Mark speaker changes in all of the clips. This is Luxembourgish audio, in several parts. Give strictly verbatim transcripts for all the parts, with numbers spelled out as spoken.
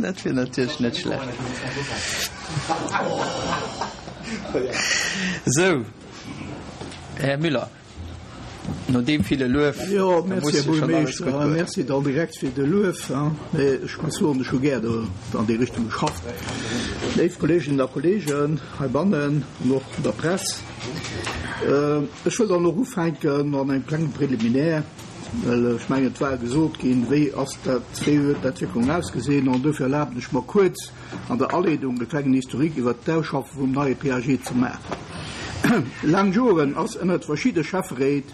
Speaker 1: Dat wier natierlech net schlecht. Sou, Här Müller, no deem ville Luef,
Speaker 2: Jo, merci, Här Buergermeeschter. Merci dann direkt fir de Luef. Mee ech muss soen, ech hu gär do an déi Richtung geschafft. Léif Kolleeginnen a Kolleegen heibannen an och an der Press, ech wëll dann och ufänken an engem klengen Préliminaire, well ech mengen, et war gesot ginn, wéi ass dat, wéi huet d'Entwécklung ausgesinn, an dofir erlaben ech mer kuerz an der Aleedung e klengen Historique iwwert d'Ausschaffe vum neie P A G ze maachen. Laang Joren ass ënnert verschidde Schäfferéit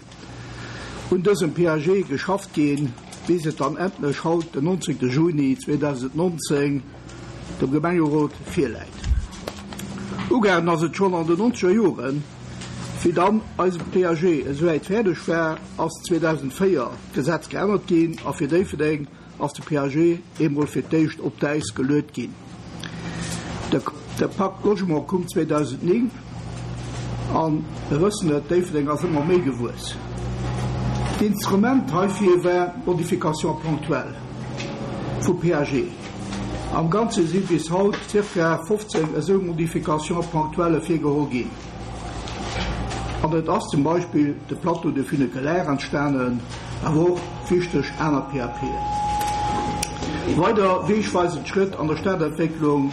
Speaker 2: un dësem P A G geschafft ginn, bis et dann endlech haut, den nonzéngte Juni zweedausendnonzéng, dem Gemengerot virläit. Ugaangen ass et schonn an den nonzeger Joren. Wéi dann eise P A G esouwäit fäerdeg war, ass zweedausendvéier d'Gesetz geännert ginn a fir Déifferdeng ass de P A G eemol fir d'éischt op d'Äis geluet ginn. De, de Pacte Logement koum zweedausendnéng an mir wëssen et, Déifferdeng ass ëmmer méi gewuess. D'Instrument heifir war d'Modification ponctuelle vum P A G. Am Ganze si bis haut zirka fofzéng esou Modifications ponctuelles virgeholl ginn. An et ass zum Beispill de Plateau de Funiculaire entstanen, awer och wichteg aner P A P'en. Weider wegweisend Schrëtt an der Stadentwécklung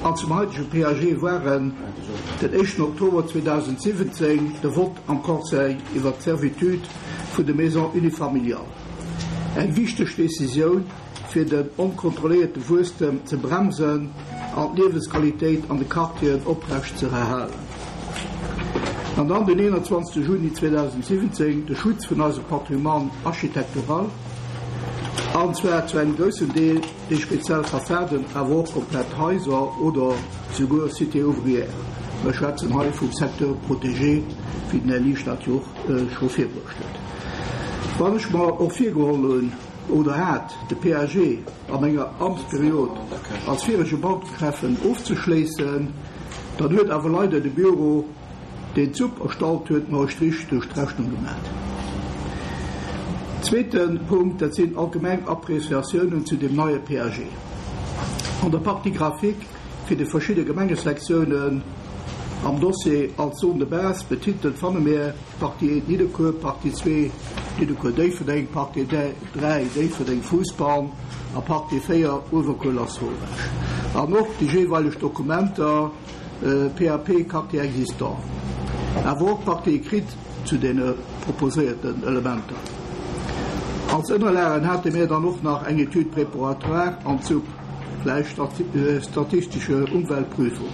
Speaker 2: an zum heitege P A G waren den éischten Oktober zweedausendsiwwenzéng de Vott am Conseil iwwer d'Servitude vun de Maisons unifamiliales. Eng wichteg Decisioun fir den onkontrolléierte Wuesstem ze bremsen an d'Liewensqualitéit an de Quartieren oprecht ze erhalen. An dann den einundzwanzigsten Juni zweedausendsiwwenzéng de Schutz vun eisem Patrimoine architektural, an zwar zu engem groussen Deel déi speziell Fassaden, awer och komplett Häuser oder souguer Cité ouvrière. Wir schwätzen hei vum Secteur protégé, wéi den Här Liesch dat jo och, äh, scho virbruecht huet. Wann ech mer och virgeholl hunn oder hat, de P A G an enger Amtsperiod als virege Bautreffen ofzeschléissen, dann huet awer leider de Büro, deen d'Supp erstallt huet, mer e Strich duerch d'Rechnung gemaach. Zweeten Punkt, dat sinn allgemeng Appréciatiounen zu dem neie P A G. An der Partie graphique fir de verschiedene Gemengesektionen am Dossier als Zone de base betitelt fanne mir Partie eins Nidderkuer, Partie zwei Nidderkuer Déifferdeng, Partie drei Déifferdeng Fussball a Partie véier Uewerkuer Lasauvage. An och déi jeweilig Dokumenter, äh, P A P, Quartier existant. Awer och Partie écrite zu den proposéierten Elementer. Als Ënnerlagen hate mir dann och nach eng Étude préparatoire an zu gleich stati-, äh, statistische Umweltprüfung.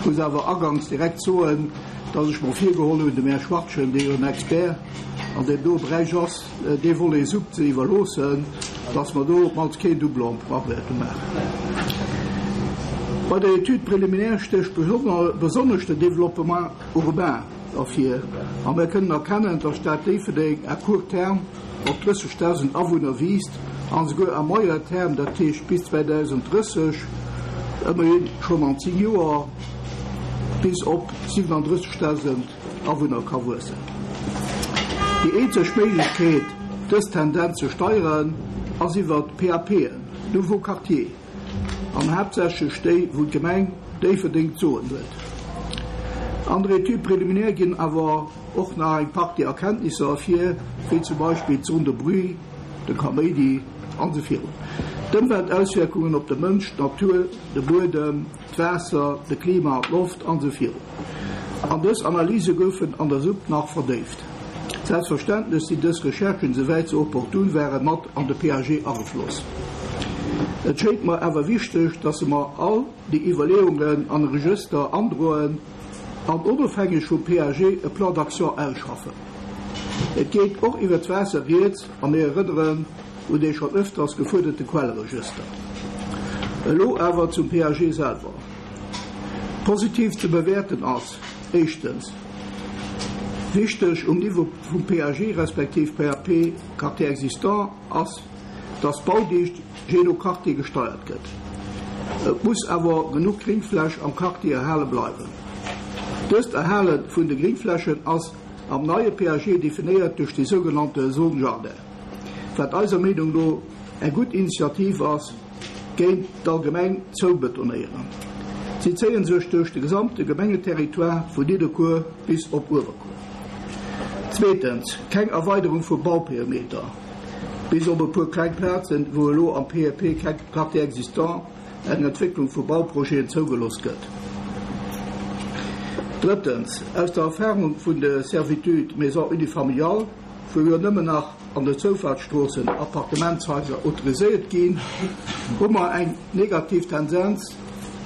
Speaker 2: Ich muss awer agangs direkt soen, dass ech mir virgeholl hunn, dem Här Schwartchen, dee jo en Expert an dem do Beräich ass, äh, dee Volet Supp ze iwwerloossen, dass mer do op mannst keen Doublon wäerte maachen. Bei der Étude préliminaire stécht besonner-, besonnesch de Développement urbain ervir. A mir kënnen erkennen, dass d'Stad Déifferdeng à court terme op drëssigtausend Awunner wiisst an souguer à moyen terme, dat heescht bis zweitausenddrësseg, ëmmerhin schon an zehn Joer, bis op siebenunddrëssigtausend Awunner ka wuessen. Déi eenzeg Méiglechkeet, dës Tendenz ze steieren, ass iwwer d'P A P'en, Nouveau Quartier, an haaptsächlech déi, wou d'Gemeng Déifferdeng ze soen huet. An der Étude préliminaire ginn awer och nach eng Partie Erkenntnisser ervir, wéi zum Beispill d'Zone de Bruit, de Kaméidi an so virun. D'Ëmweltauswirkungen op de Mënsch, d'Natur, de Buedem, d'Waasser, de Klima, d'Loft an so virun. An dës Analyse goufen an der Supp nach verdéift. Selbstverständlech sinn dës Recherchen, soweit se opportun waren, mat an de P A G agefloss. Et schéint mer awer wichteg, dass se mer all déi Iwwerleeungen an de Register androen an onofhängeg vum P A G e Plan d'action ausschaffen. Et geet och iwwer d'Waasser rieds a mir erënneren un dee schon öfters gefuerderte Quelleregister. Elo awer zum P A G selwer. Positiv ze bewerten ass éischtens wichteg um Niveau vum P A G respektiv P A P Quartier existant ass, dass Baudicht je no Quartier gesteuert gëtt. Et muss awer genug Gringfläch am Quartier erhale bleiwen. Dëst Erhale vun de Gringflächen ass am neie P A G definéiert duerch die sogenannte Zone Jardin. Wat eiser Meenung no eng gutt Initiativ ass, géint d'allgemeng Zoubetonéieren. Si zéien sech duerch de gesamte Gemengeterritoire vun Nidderkuer bis op Uewerkuer. Zweetens, keng Erweiderung vu Bauperimeter. Bis op e puer kleng Plazen, wou elo am P A P Quartier existant eng Entwécklung vu Bauprojeten zougelooss gëtt. Drëttens, aus der Erfarung vun de Servitude Maison unifamiliale, wou jo nëmmen nach an de Zoufaartsstroossen Appartementshaiser autoriséiert ginn, hu mer eng negativ Tendenz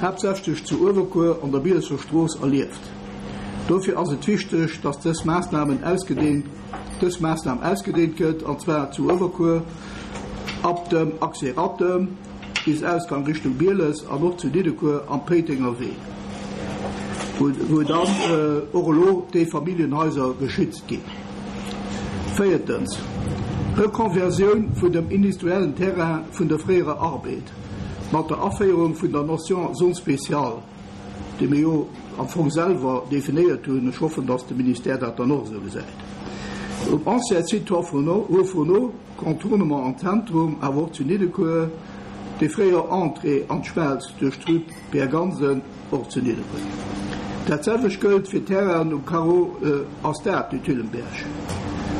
Speaker 2: haaptsächlech zu Uewerkuer an der Bielesser Strooss erlieft. Dofir ass et wichteg, dass dës Maassnamen ausgedeent dës Maassnam ausgedeent gëtt, an zwar zu Uewerkuer ab dem Accès Rattem bis Ausgang Richtung Bieles an och zu Nidderkuer am Péitenger Wee, wou, wou dann äh, och elo déi Familljenhaiser geschützt ginn. Véiertens, Rekonversioun vun dem industriellen Terrain vun der fréierer Arbed mat der Aféierung vun der Notion Zone spéciale, déi mir jo am Fong selwer definéiert hunn. Ech hoffen, dass de Ministère dat dann och esou gesäit. Um ancien Site Haut-Fourneau, Contournement am Zentrum, awer och zu Nidderkuer, déi fréier Entrée an d'Schmelz duerch d'Rue Pierre Gansen, och zu Nidderkuer. Dat selwecht gëllt fir Terrainen um Carreau äh, a Stade du Thüllenberg.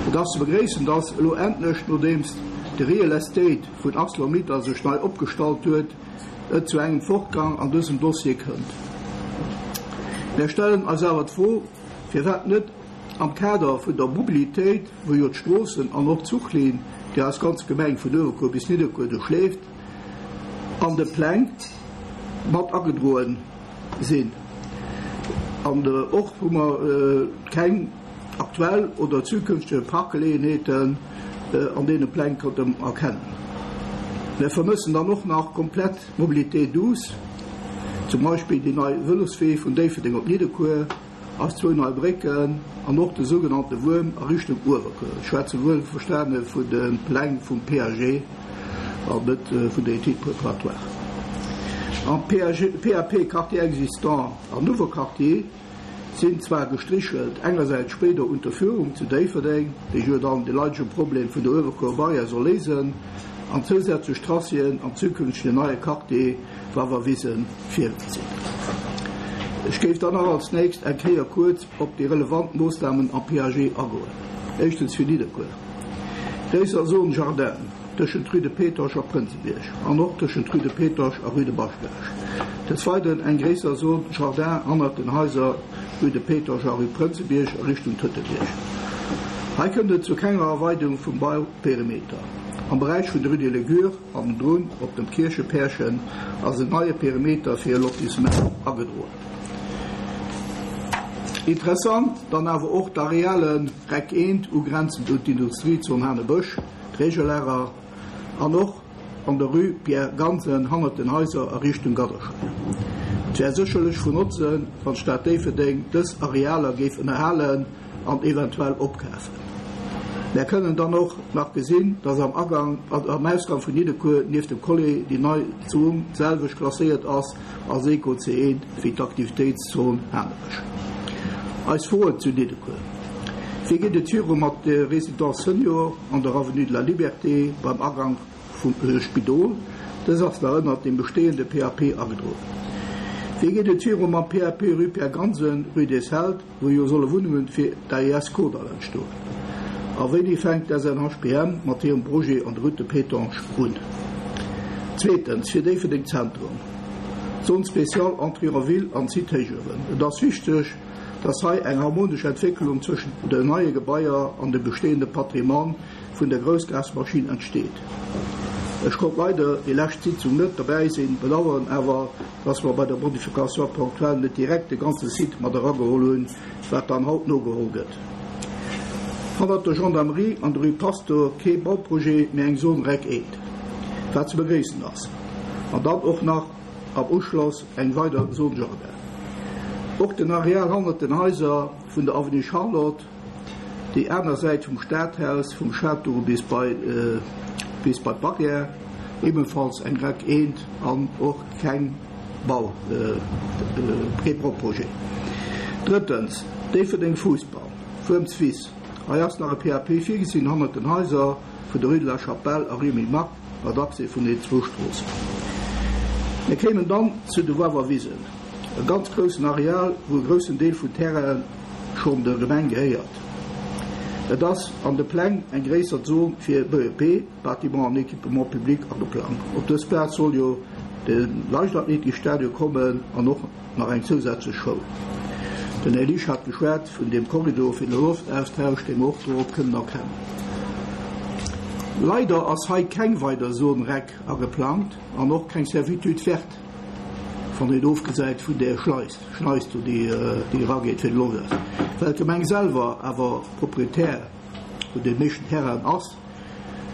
Speaker 2: Et ass ze begréissen, dass elo endlech, nodeems de Real Estate vun ArcelorMittal sech nei opgestallt huet, et zu engem Fortgang an dësem Dossier kënnt. Mir stellen eis awer d'Fro, firwat net am Kader vun der Mobilitéit, wou jo d'Stroossen an och d'Zuchlinn, déi eis ganz Gemeng vun Uewerkuer bis Nidderkuer duerchleeft, an de Pläng mat agedroen sinn. An och hu mer keng aktuell oder zukünftege Parkgeleeënheeten an deene Pläng konnten erkennen. Mir vermëssen dann och nach komplett Mobilité douce, zum Beispill déi nei Vëloswee vun Déifferdeng op Nidderkuer, eis zwou nei Brécken an och de sougenannte Wuerm a Richtung Uewerkuer. Ech schwätze wuelverstane vun de Pläng vum P A G an net vun der Étude préparatoire. Am P A P Quartier existant an Nouveau Quartier sinn zwar gestrichelt engersäits spéider Unterführung zu Déifferdeng, déi jo dann de leidege Problem vun der Uewerkuer Barrière soll léisen, an zousätzlech Tracéen am zukünftegen neie Quartier Wawerwisen virgesinn. Ech géif dann nach als nächst eng Kéier kuerz op déi relevant Moossnamen am P A G agoen. Éischtens fir Nidderkuer. Gréisser Zone Jardin tëschent Rue de Pétange a Prënzebierg an och tëschent Rue de Pétange a Rue de Baschberg. Des Weideren eng gréisser Zone Jardin hannert den Haiser Rue de Pétange a Rue Prënzebierg a Richtung Tëtelbierg. Hei kënnt et zu kenger Erweiderung vum Bauperimeter. Am Beräich vun der Rue de Legure an drun op dem Kierchepärchen ass en neie Perimeter fir e Lotissement agedroen. Interessant dann awer och d'Arealen REC eent ugrenzend un d'Industriezon Hanebësch, d'Regellager an och an der Rue Pierre Gansen hannert den Haiser a Richtung Gadderscheier. Et wär sécherlech vun Notzen, wann d'Stad Déifferdeng dës Arealer géif ënnerhalen an eventuell opkafen. Mir kënnen dann och nach gesinn, dass am Agang am Ausgang vun Nidderkuer nieft dem Collé déi nei Zon d'selwecht klasséiert ass als Eco C eent wéi d'Aktivitéitszon Hanebësch. Eis Froen zu Nidderkuer. Wéi geet et viru mat der Résidence Senior an der Avenue de la Liberté beim Agang vum Spidol? Dës ass nach ënnert dem bestehende P A P agedroen. Wéi geet et viru mam P A P Rue Pierre Gansen, Rue des Held, wou jo solle Wunnungen fir d'A I S Kordall entstoen? A wéini fänkt d'S N H P M mat hirem Projet an der Route de Pétange un? Zweetens, fir Déifferdeng Zentrum. Zone spéciale Entrée en ville an Site Héichuewen. Et ass wichteg, dass hei eng harmonesch Entwécklung tëschent den neie Gebaier an dem bestehende Patrimoine vun der Groussgasmaschinn entsteet. Ech konnt leider déi lescht Sitzung net derbäi sinn, bedauern awer, dass mer bei der Modification ponctuelle net direkt de ganze Site mat erageholl hunn, wat dann haut nogeholl gëtt. Hannert der Gendarmerie an der Rue Pastor kee Bauprojet, mee eng Zone REC eent, wat ze begréissen ass. An dann och nach am Uschloss eng weider Zone Jardin. Och den Areal hannert den Haiser vun der Avenue Charlotte, déi aner Säit vum Stadhaus, vum Château bis bei äh, bis bei d'Barrière, ebenfalls eng REC eent an och keng Bau äh, äh, Bauprojet. Drëttens, Déifferdeng Fussball, Wuermswiss. Hei ass nach e P A P virgesinn hannert den Haiser vun der Rue de la Chapelle a Rue Mille Marc mat Accès vun den zwou Stroossen. Mir kéimen dann zu de Wawerwisen, e ganz groussen Areal, wou e groussen Deel vum Terrain schonn der Gemeng gehéiert. Et ass an de Pläng eng gréisser Zon fir B E P, Bâtiment an Équipement public, ageplangt. Op dës Plaz soll jo de Leichtathletikstadion kommen an och nach eng zousätzlech Schoul. Den Elisch hat geschwat vun dem Korridor fir de Loftaustausch, dee mer och dorop kënnen erkennen. Leider ass hei keng weider Zone REC ageplangt an och keng Servitude verte, wann een ofgesäit vun der Schleis, Schleis do, déi, déi erageet fir de Loftaustausch. Well d'Gemeng selwer awer Proprietär vun deem meeschten Terrain ass,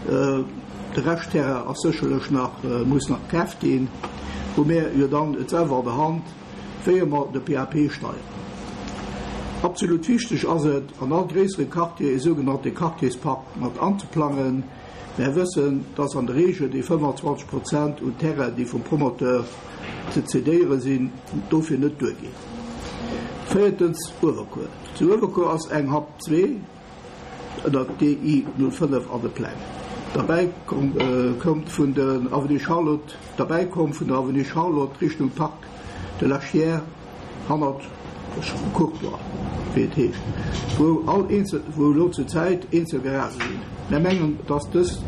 Speaker 2: de Reschtterrain ass sécherlech nach, muss nach kaaft ginn, hu mir jo dann et selwer an der Hand, wéi mer de P A P steieren. Absolut wichteg ass et, an all gréissere Quartier e sougenannte Quartierspark mat anzeplangen. Mir wëssen, dass an der Reegel déi fënnefanzwanzeg Prozent un Terrain, déi vum Promoteur ze cedéiere sinn, dofir net duerginn. Véiertens, Uewerkuer. Zu Uewerkuer ass eng Hap zwee ënner D I null fënnef an de Pläng. Derbäi kommt vun der Avenue Charlotte, derbäi komm vun der Avenue Charlotte Richtung Parc de la Chiers hannert Courtois, wéi et heescht, wou all eenzel, wou elo zur Zäit eenzel Garagë sinn. Mir mengen, dass dës,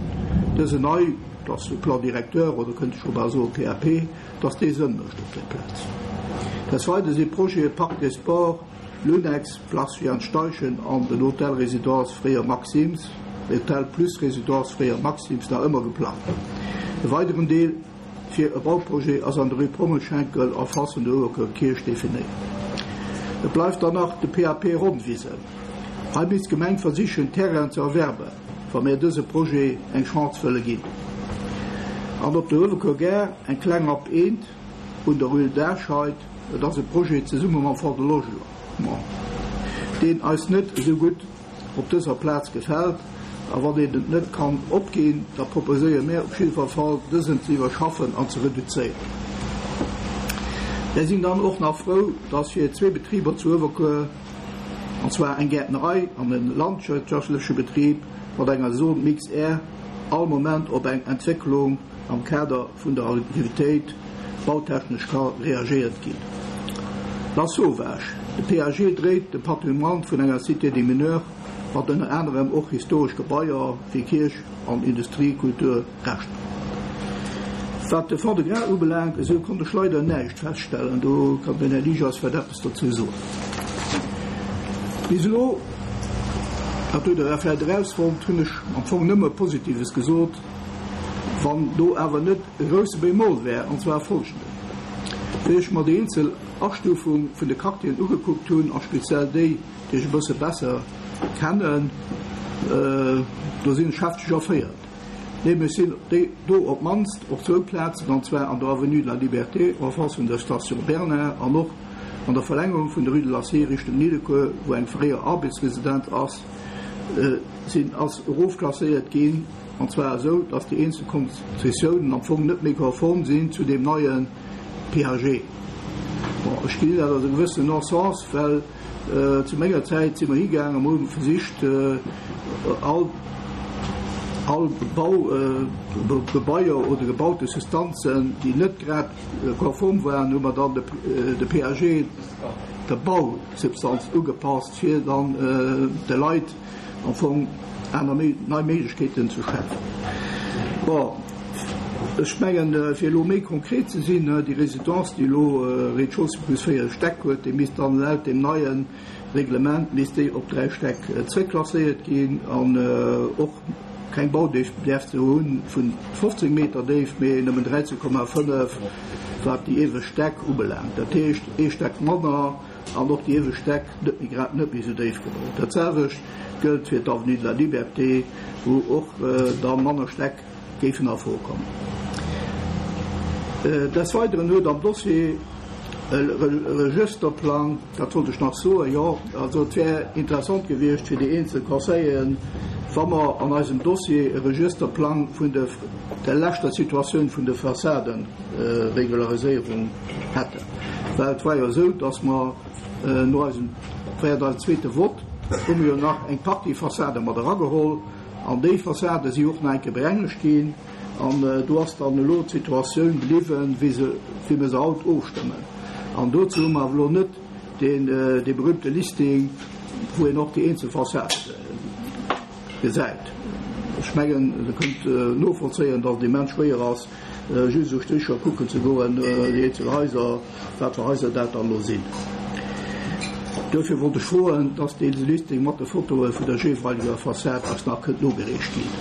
Speaker 2: dëse nei, dass de Plan directeur oder kënnt ech scho bal soe P A P, dass dee Sënn mécht op där Plaz. Des Weidere si Projete Parc des Sports, Lunex, Place Jeanne Steichen an den Hotel Résidence fréier Maxims, Hotel Plus Résidence fréier Maxims nach ëmmer geplangt. E weideren Deel fir e Bauprojet ass an der Rue Pommelschenkel en face vun der Uewerkuerer Kierch definéiert. Et bleift dann nach de P A P Ronnwisen. Hei misst d'Gemeng versichen, Terrain ze erwerben, wa mir dëse Projet eng Chance wëlle ginn. An op der Uewerkuer Gare eng kleng Hap eent un der Rue Darscheid, et ass e Projet zesumme mam Fonds de Logement, deen eis net esou gutt op dëser Plaz gefält, a wann een et net kann opginn, da proposéiere mir op jiddwer Fall, dësen ze iwwerschaffen an ze reduzéieren. Mir sinn dann och nach frou, dass fir zwee Betriber zu Uewerkuer, an zwar eng Gäertnerei an e landwirtschaftleche Betrib mat enger Zone Mix R, all Moment op eng Entwécklung am Kader vun der Aktivitéit bautechnesch ka reagéiert ginn. Lasauvage. De P A G dréit de Patrimoine vun enger Cité des Mineurs mat ënner anerem och historesch Gebaier wéi Kierch an Industriekulturreschter. Wat de Fonds de Gras ubelaangt, esou konnt ech leider näischt feststellen. Do kann den Här Ligas vläicht eppes dozou soen. Bis elo, dat hutt Der vläicht erausfonnt, hunn ech am Fong nëmme Positives gesot, wann do awer net e grousse Bémol wär, an zwar folgenden. Wéi ech mer déi eenzel Astufung vun de Quartieren ugekuckt hunn, a speziell déi, déi ech e bësse besser kennen, do sinn ech hefteg erféiert. Nämlech sinn déi do op d'mannst op zwou Plazen, an zwar an der Avenue de la Liberté en face vun der Station Bernard an och an der Verlängerung vun der Rue de l'Acier Richtung Nidderkuer, wou eng fréier Arbeitsresidenz ass, sinn ass erofklasséiert ginn, an zwar esou, dass déi eenzel Konzessiounen am Fong net méi konform sinn zu deem neie P A G. Bon, ech gesinn dat als e gewëssenen Non-sens, well zu menger Zäit si mer higaangen a mer hu versicht, all all Baugebaier oder gebaute Substanzen, déi net grad konform waren, hu mer dann de P A G der Bausubstanz ugepasst, fir dann de Leit am Fong aner nei Méiglechkeeten ze schafen. Bon, ech mengen, fir elo méi konkret ze sinn, déi Résidence, déi elo Rez-de-chaussée plus véier Stäck huet, déi misst dann laut dem neie Reglement misst déi op dräi Stäck zréckklasséiert ginn an och keng Baudéift däerf se hunn vun fofzéng Meter Déift, mee nëmmen dräizéng Komma fënnef, wat déi iewescht Stäck ubelaangt. Dat heescht ee Stack manner an och déi iewescht Stäck net méi grad net méi esou déif gebaut. Dat selwecht gëllt fir d'Avenue de la Liberté, wou och da manner Stäck géifen a Fro kommen. Des Weideren huet am Dossier e Regësterplang, dat wollt ech nach soen, jo, also et wär interessant gewiescht fir déi eenzel Conseilleren, wa mer an eisem Dossier e Regësterplang vun de der leschter Situatioun vun de Fassadenregulariséierung hätten. Well et war jo esou, dass mer no eisem, während eisem zweete Vott, hu mer jo nach eng Partie Fassade mat erageholl an déi Fassade si och nach eng Kéier berengegt ginn. An do ass dann elo d'Situatioun bliwwen, wéi se, wéi mir se haut ofstëmmen. An dozou hu mer awer elo net deen, dee berühmte Listing, wou een och déi eenzel Fassade gesäit. Ech mengen, Der kënnt novollzéien, datt et immens schwéier ass, just esou Stricher kucken ze goen, déi eenzel Haiser, wat fir Haiser dat dann elo sinn. Duerfir wollt ech froen, dass dee Listing mat de Fotoe vun der jeeweileger Fassad eis nach kënnt nogereecht ginn.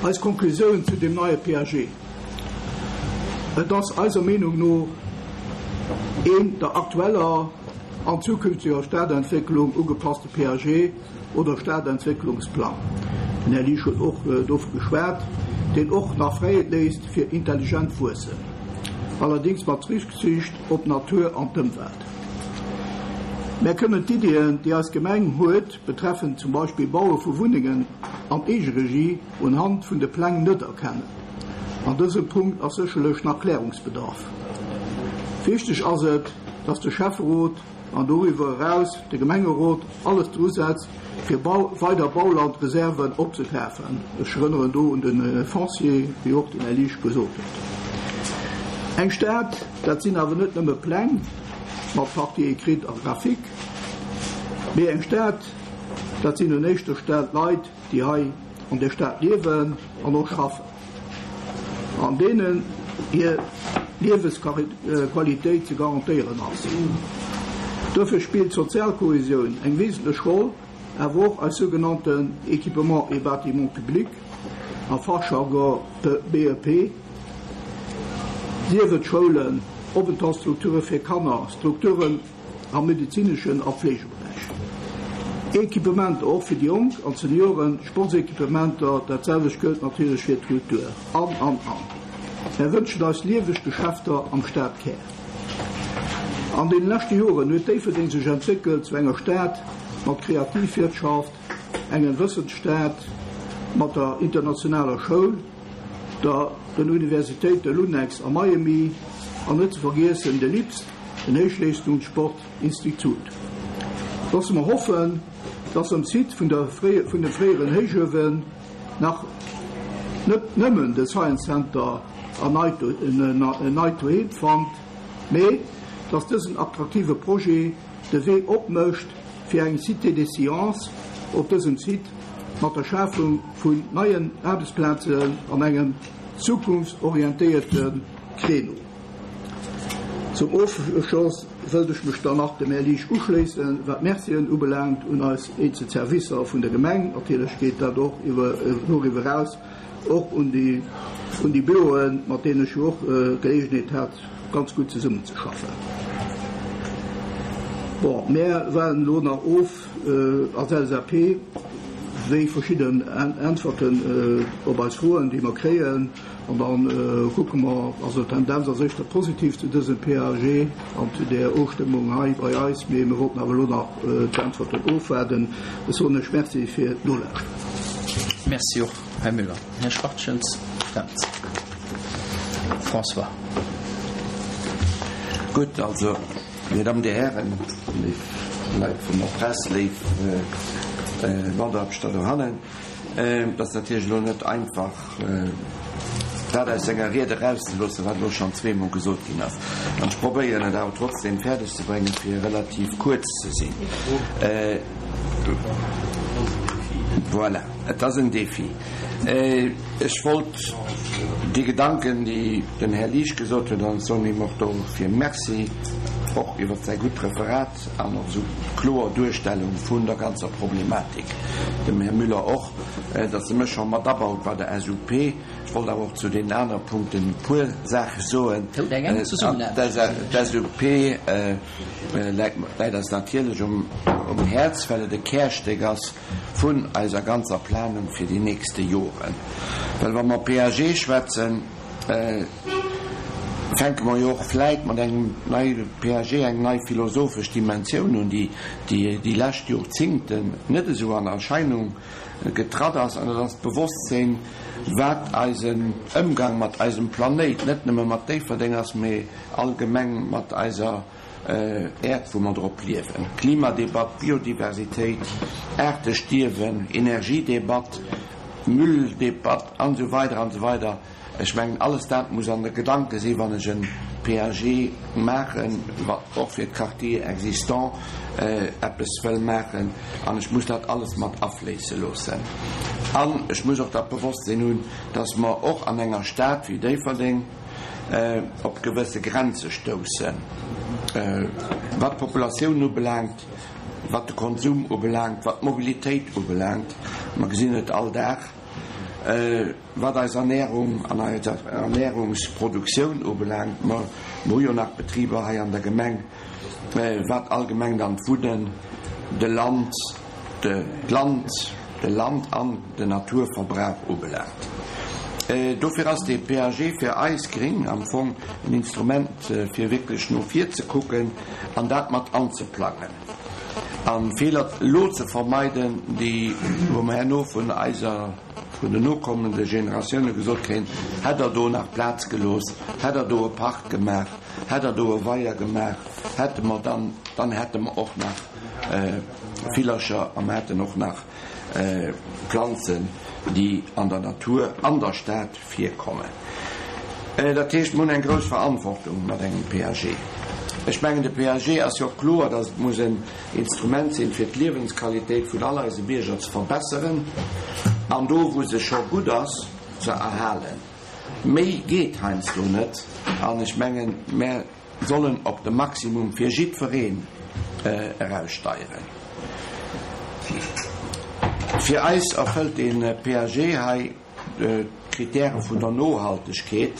Speaker 2: Eis Konklusioun zu deem neie P A G, Et ass eiser Meenung no een der aktueller an zukünftiger Stadentwécklung ugepasste P A G oder Stadentwécklungsplang, den Här Liesch huet och dovu geschwat, deen och nach Fräiheet léisst fir intelligent Wuessen, allerdéngs mat Rücksicht op d'Natur an d'Ëmwelt. Mär kënnen d'Iddien, déi eis Gemeng huet, betreffend zum Beispill Baue vu Wunnengen an Eegeregie, unhand vun de Pläng net erkennen. An dësem Punkt ass sécherlech nach Klärungsbedarf. Wichteg ass et, dass de Schäfferot an doriwwer eraus de Gemengerot alles drusetzt, fir weider Baulandreserven opzekafen. Ech erënneren do un de Foncier, wéi och den Här Liesch gesot huet. Eng Stad, dat sinn awer net nëmme Pläng mat Partie écrite a graphique, mee eng Stad, dat sinn un éischter Stell d'Leit, déi hei an der Stad liewen an och schaffen, an deenen hir Liewesqualitéit ze garantéieren ass. Dofir spillt d'Sozialkohäsioun eng wesentlech Roll, awer och eis sougenannten Équipements et bâtiments publics, am Fachjargon B E P, sief et Schoulen, Openthaltsstrukture fir Kanner, Strukturen am medizineschen a Pflegeberäich. Equipementer och fir déi Jonk an Senioren, Sportsequipementer, dat selwecht gëllt natierlech fir d'Kultur. An, an, an. Mär wënschen eis lieweg Geschäfter am Stadkär. An den leschte Joren huet Déifferdeng sech entwéckelt zu enger Stad mat Kreativwirtschaft, engem Wëssensstad, mat der internationaler Schoul, der den Universitéite Lunex a Miami an net ze vergiessen de LIPS, den Héichleistungssportinstitut. Loosse mer hoffen, dass am Site vun der vun de fréieren Héichuewen nach net nëmmen de Science Center en neit Doheem fand, mee dass dësen attraktive Projet de Wee opmécht fir eng Cité des Sciences op dësem Site mat der Schafung vun neien Aarbechtsplazen an engem zukunftsorientéierte Créneau. Zum Ofschloss wëllt ech mech dann nach dem Här Liesch uschléissen, wat Mercien ubelaangt un eis eenzel Servicer vun der Gemeng. Natierlech geet dat och iwwer doriwwer eraus och un déi un déi Büroen, mat deenen ech jo och Geleegenheet hat, ganz gutt zesummenzeschaffen. Bon, mär waarden elo nach of als L S A P, wéi verschidden Äntwerten op eis Froen, déi mer kréien. An dann kucke mer, also d'Tendenz ass éischter positiv zu dësem P A G an zu der Ofstëmmung hei bei eis, mee mir wollten awer elo nach d'Äntwerten ofwaarden. Ech soen lech Merci fir d'Nolauschteren.
Speaker 1: Merci och, Här Müller. Här Schwachtjens, Fränz. François.
Speaker 3: Gutt, also, Dir Dammen, Dir Hären, léif Leit vun der Press, léif Mataarbechter dohannen, et ass natierlech elo net einfach, dat aus senger Ried erauszeloossen, wat elo schonn zweemol gesot ginn ass. An ech probéieren et awer trotzdem fäerdeg ze bréngen, fir relativ kuerz ze sinn. Voilà, et ass en Défi. Ech wollt déi Gedanken, déi den Här Liesch gesot huet, an ech soen him och dofir Merci, och iwwer säi gutt Referat an och esou kloer Duerstellung vun der ganzer Problematik, dem Här Müller och, datt e mech scho mat abaut bei der S U P. Ech wollt awer och zu deenen anere Punkten e puer Saache soen. D'S U P läit eis natierlech um Häerz, well et e Kärstéck ass vun eiser ganzer Planung fir déi nächste Joren. Well wa mer P A G schwätzen, fänke mer jo och vläit mat engem neie P A G eng nei philosophesch Dimensioun un, déi déi lescht Joerzingten net esou an Erscheinung getratt ass, an dat ass d'Bewosstsinn, wat eisen Ëmgang mat eisem Planéit, net nëmme mat Déifferdeng ass, mee allgemeng mat eiser Äerd, wou mer drop liewen. Klimadebatt, Biodiversitéit, Aartestierwen, Energiedebatt, Mülldebatt an esou weider an esou weider. Ech mengen, alles dat muss an de Gedanke sinn, wann ech e P A G maachen, wat och fir d'Quartier existant eppes wëll maachen, an ech muss dat alles mat afléisse loossen. An ech muss och dat Bewosstsinn hunn, dass mer och an enger Stad wéi Déifferdeng op gewësse Grenze stoussen, wat d'Populatioun ubelaangt, wat de Konsum ubelaangt, wat d'Mobilitéit ubelaangt. Mer gesinn et all Dag, wat eis Ernährung an eis Ernährungsproduktioun ubelaangt. Mer hu jo nach Betriber hei an der Gemeng, wat allgemeng dann d'Wunnen, de Land, d'Land, de Land an den Naturverbrauch ubelaangt. Dofir ass dee P A G fir eis Gréng am Fong en Instrument, fir wierklech no vir ze kucken an dat mat anzeplangen a Feeler elo ze vermeiden, déi wou mer herno vun eiser, vun den nokommende Generatioune gesot kréien, Hätt Der do nach Plaz gelooss, hätt Der do e Park gemaach, hätt Der do e Weier gemaach, hätte mer dann, dann hätte mer och nach Villercher a mer hätten och nach Planzen, déi an der Natur an der Stad virkommen. Dat heescht, mer hunn eng grouss Verantwortung mat engem P A G. Ech mengen, de P A G ass jo och kloer, datt et muss en Instrument sinn, fir d'Liewensqualitéit vun all eise Bierger ze verbesseren an do, wou se scho gutt ass, ze erhalen. Méi geet heiansdo net an ech mengen, mär sollen op de Maximum fir jiddwereen eraussteieren. Fir eis erfëllt dee P A G hei d'Kritäre vun der Nohaltegkeet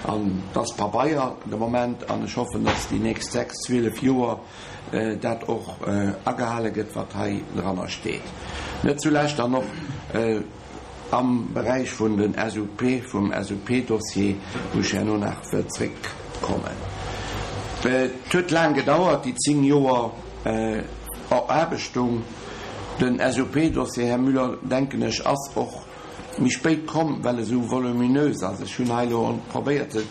Speaker 3: an dat ass Pabeier de Moment an ech hoffen, dass déi nächst sechs, zwielef Joer dat och agehale gëtt, wat hei dranner steet. Net zulescht dann och am Beräich vun den S U P, vum S U P-Dossier, wou ech herno nach wëll zréckkommen. Et huet laang gedauert, déi zéng Joer Eraarbechtung. Den S U P-Dossier, Här Müller, denken ech, ass och méi spéit komm, well e sou voluminös ass. Ech hunn hei elo probéiert ze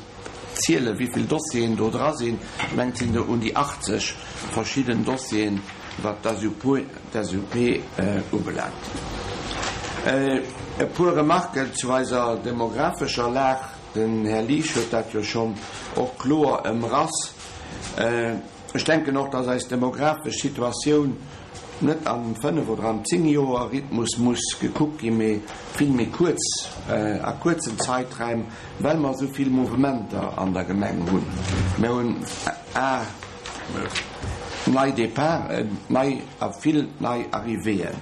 Speaker 3: zielen, wéi vill Dossieren do dra sinn. Ech mengen, et sinn der un déi achtzeg verschidden Dossieren, wat d'S U P ubelaangt. E puer Remarken zu eiser demographescher Lag. Den Här Liesch huet dat jo schonn och kloer ëmrass. Ech denken och, dass eis demographesch Situatioun net am fënnef oder am zéng-Joer-Rhythmus muss gekuckt ginn, mee vill méi kuerz, a kuerzen Zäiträim, well mer esou vill Mouvementer an der Gemeng hunn. Mir hunn a nei Departen, nei a vill nei Arrivéeën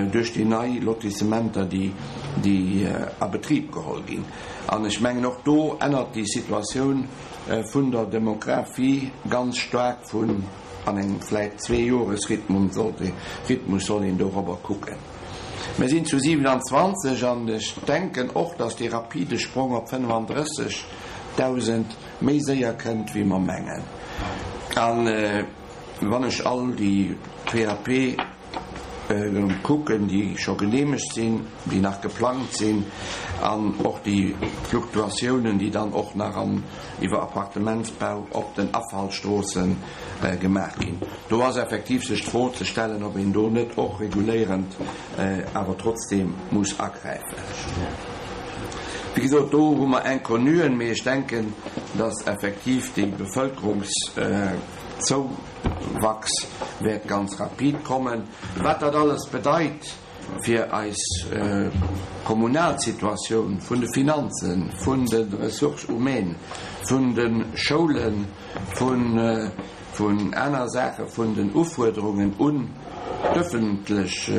Speaker 3: duerch déi nei Lotissementer, déi déi a Betrib geholl ginn. An ech mengen, och do ännert déi Situatioun vun der Demografie ganz staark vun an engem vläicht Zwee-Jores-Rhythmus sollt Rhythmus soll een dorobber kucken. Mir sinn zu siewenundzwanzeg an ech denken och, dass dee rapide Sprong op fënnefanddrëssegdausend méi séier kënnt, wéi mer mengen. An wann ech all déi P A P kucken, déi scho geneemegt sinn, déi nach geplangt sinn, an och déi Fluktuatiounen, déi dann och nach an iwwer Appartementsbau op den Afallstroosse gemaach ginn, do ass effektiv sech d'Fro ze stellen, ob een do net och reguléierend awer trotzdeem muss agräifen. Wéi gesot, do hu mer Inconnuen, mee ech denken, dass effektiv déi Bevëlkerungszouwachs wäert ganz rapid kommen. Wat dat alles bedeit fir eis kommunal Situatioun vun de Finanzen, vun de Ressources humaines, vun de Schoulen, vun vun aner Saache, vun den Ufuerderungen un d'ëffentlech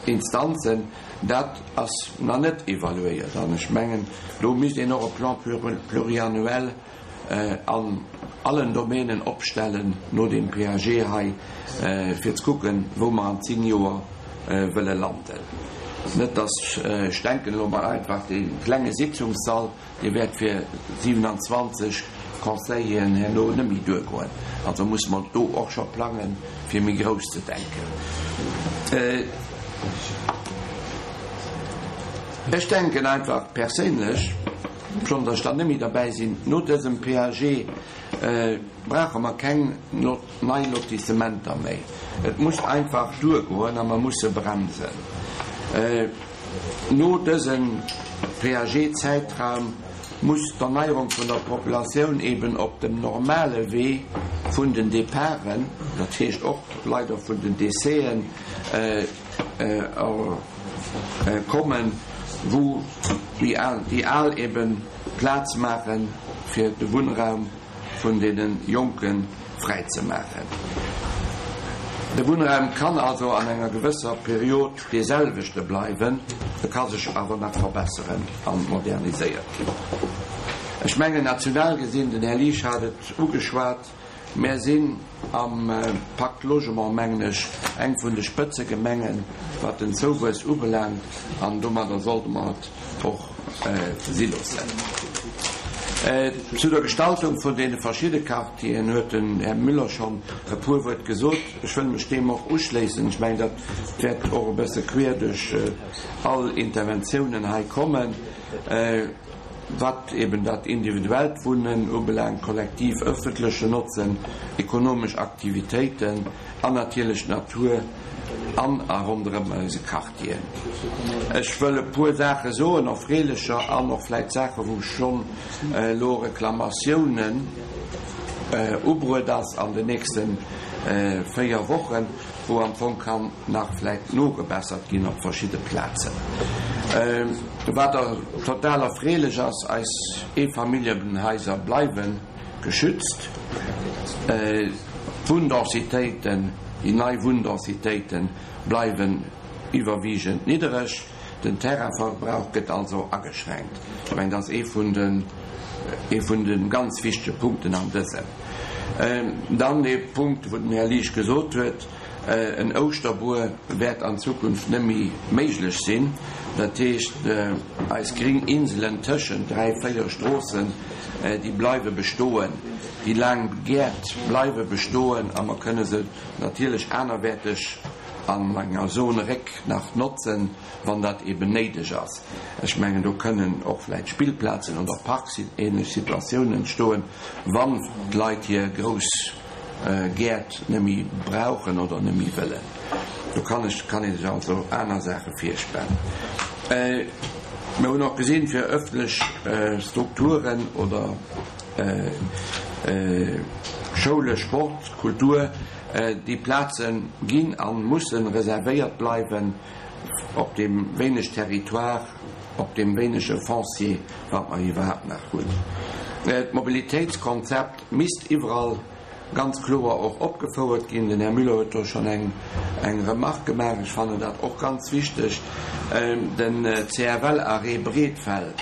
Speaker 3: Instanzen, dat ass nach net evaluéiert. An ech mengen, do misst een och e Plan pluriannuel an allen Domänen opstellen no deem P A G hei, fir ze kucken, wou mer an zéng Joer wëlle landen. Net dass, ech denken elo mol einfach, dee klenge Sitzungssall, dee wäert fir siewenundzwanzeg Conseilleren herno net méi duergoen. Also muss mer do och scho plangen, fir méi grouss ze denken. Ech denken einfach perséinlech, schonn datt ech dann net méi derbäi sinn, no dësem P A G brauche mer keng nei Lotissementer méi. Et muss einfach duergoen a mer musse bremsen. No dësem P A G-Zäitraum muss d'Erneierung vun der Populatioun eben op dem normale Wee vun den Departen, dat heescht och leider vun den Décèsen, kommen, wou déi Al eben Plaz maachen, fir de Wunnraum vun deene Jonke fräi ze maachen. De Wunnraum kann also an enger gewësser Period dee selwechte bleiwen, e ka sech awer nach verbesseren a moderniséiert ginn. Ech mengen, national gesinn, den Här Liesch hat et ugeschwat, mär sinn am Pacte Logement, mengen ech, eng vun de Spëtzegemengen, wat den Zouwuess ubelaangt, an domadder sollte mer et och si loossen. Zu der Gestaltung vun deene verschidde Quartieren huet den Här Müller schonn e puer Wuert gesot. Ech wëll mech deem och uschléissen. Ech mengen, dat wäert och e bësse queer duerch all Interventiounen hei kommen, wat eben dat individuellt Wunnen ubelaangt, kollektiv öffentleche Notzen, ekonomesch Aktivitéiten an natierlech d'Natur an a ronderëm eise Quartieren. Ech wëll e puer Saache soen, erfreelecher an och vläicht Saache wou schonn elo Reklamatiounen ubruet ass an den nächste véier Wochen, wou am Fong kann nach vläicht nogebessert ginn op verschidde Plazen. Wat total erfreelech ass, eis Eefamilljenhaiser bleiwe geschützt. D'Wunndensitéiten, déi nei Wunndensitéite bleiwen iwwerwiegend niddereg. Den Terrainverbrauch gëtt also ageschränkt. Ech mengen, dat ass ee vun den, ee vun de ganz wichtege Punkten an dësem. Dann dee Punkt, wou den Här Liesch gesot huet, en Ouschterbuer wäert an Zukunft net méi méiglech sinn. Dat heescht, eis gréng Inselen tëschent dräi, véier Stroossen, déi bleiwe bestoen, déi laang Gäert bleiwe bestoen a mer kënne se natierlech anerwäerteg an enger Zone Réck nach notzen, wann dat eben néideg ass. Ech mengen, do kënnen och vläicht Spillplazen oder parksähnlech Situatiounen entstoen, wann d'Leit hir grouss Gäert net méi brauchen oder net méi wëllen. Do kann ech kann ee sech also aner Saache virstellen. Mir hunn och gesinn, fir ëffentlech Strukturen oder Schoule, Sport, Kultur, déi Plaze ginn a musse reservéiert bleiwen op deem wéineg Territoire, op deem wéinege Foncier, wat mer iwwerhaapt nach hunn. D'Mobilitéitskonzept misst iwwerall ganz kloer och opgefouert ginn. Den Här Müller huet do schonn eng eng Remarque gemaach. Ech fannen dat och ganz wichteg. Den C F L-Arrêt Breedfeld,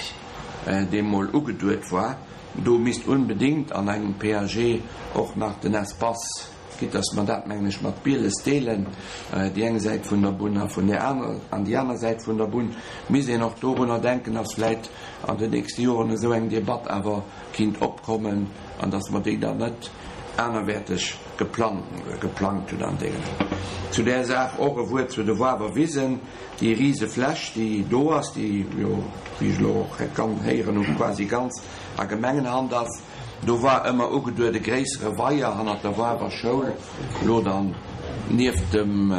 Speaker 3: dee mol ugeduet war, do misst unbedéngt an engem P A G och nach den Espace, quitte dass mer dat, mengen ech, mat Bieles deelen, déi eng Säit vun der Bunn a vun där aner an déi aner Säit vun der Bunn, misst een och dorunner denken, dass vläit an den nächste Joren esou eng Debatt awer kinnt opkommen an dass mer déi dann net anerwäerteg geplangt hunn an deenen. Zu där Saach och e Wuert zu de Wawerwisen, déi rise Fläch, déi do ass, déi jo, wéi ech elo och kann héieren hunn, quasi ganz a Gemengenhand ass. Do war ëmmer ugeduet e gréissere Weier hannert der Wawer Schoul, elo dann nieft dem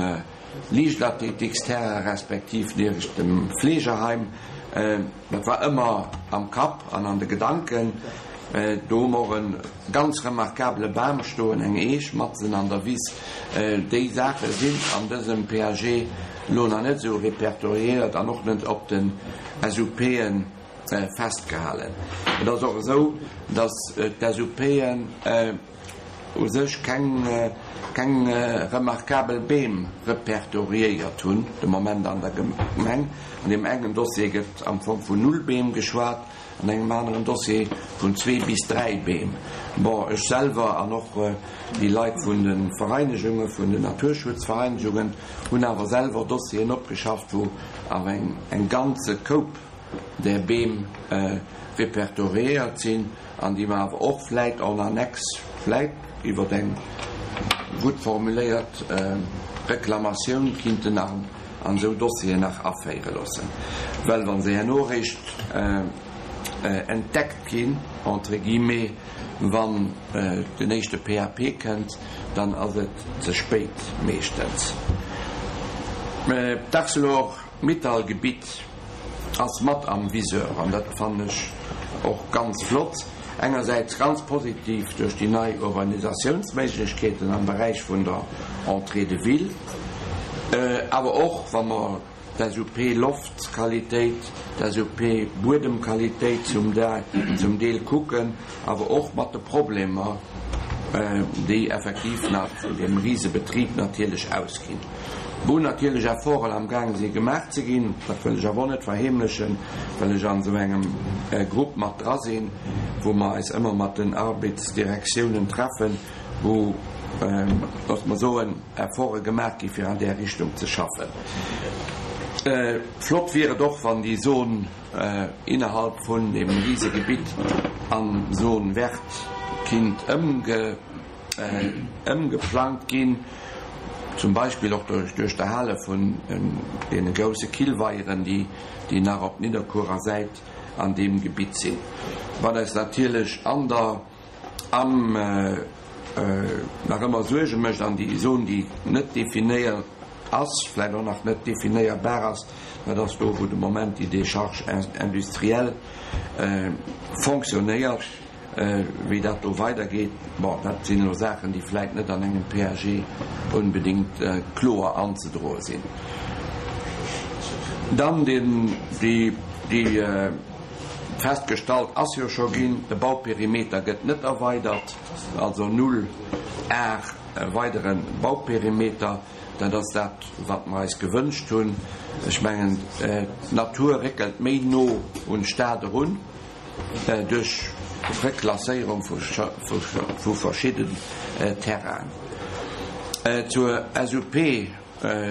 Speaker 3: Liichtathletiksterrain respektiv nieft dem Fleegeheim. Dat war ëmmer am Kapp an an de Gedanken. Do hu mer och e ganz remarkabele Bam stoen, eng Eech matzen an der Wiss. Déi Saache sinn an dësem P A G elo nach net esou repertoriéiert an och net op den S U P'en festgehalen. Et ass och esou, dass d'S U P'en u sech keng keng remarkabel Beem repertoriéiert hunn de Moment an der Gemeng. An deem engen Dossier gëtt am Fong vun null Beem geschwat, an engem aneren Dossier vun zwee bis dräi Beem. Bon, ech selwer an och déi Leit vun de Vereinegungen, vun den Naturschutzvereinegungen, hunn awer selwer Dossieren opgeschafft, wou awer eng eng ganze Koup där Beem repertoriéiert sinn an déi mer awer och vläit en annexe, vläit iwwer eng gutt formuléiert Reklamatioun kinnten an esou Dossieren nach aféiere loossen. Well wa se herno eréischt entdeckt ginn, entre guillemets, wann den éischte P A P kënnt, dann ass et ze spéit meeschtens. D'Arcelor-Mittal-Gebitt ass mat am Viseur an dat fannen ech och ganz flott. Engersäits ganz positiv duerch déi nei Urbanisatiounsméiglechkeeten am Beräich vun der Entrée de ville, awer och wa mer d'SUP Loftqualitéit, d'SUP Buedemqualitéit zum zum Deel kucken, awer och mat de Problemer, déi effektiv nach vun deem Risebetrib natierlech ausginn, wou natierlech Efforten amgaange si gemaach ze ginn, dat wëll ech awer och net verheemlechen, well ech an esou engem Grupp mat dra sinn, wou mer eis ëmmer mat den Arbeitsdirektiounen treffen, wou, loosse mer soen, Efforte gemaach gi fir an där Richtung ze schaffen. Flott wier et och, wann déi Zon innerhalb vun deem Risegebitt an Zone verte kinnt ëmgeplangt ginn, zum Beispill och duerch d'Erhale vun deene grousse Killweieren, déi nach op Nidderkuerer Säit an deem Gebitt sinn, wat eis natierlech an der am nach ëmmer Suerge mécht an déi Zon, déi net definéiert ass, vläicht och nach net definéierbar ass, dat ass do, wou de Moment déi Décharge industrielle fonctionnéiert. Wéi dat do weidergeet, bon, dat sinn elo Saachen, déi vläicht net an engem P A G onbedéngt kloer anzedroe sinn. Dann den, déi, déi festgestallt ass jo scho ginn, de Bauperimeter gëtt net erweidert, also null Ar weidere Bauperimeter. Dat ass dat, wat mer eis gewënscht hunn. Ech mengen, d'Natur réckelt méi no un d'Stad erun duerch Reklasséierung vu verschidden Terrainen. Zur S U P-Prozedur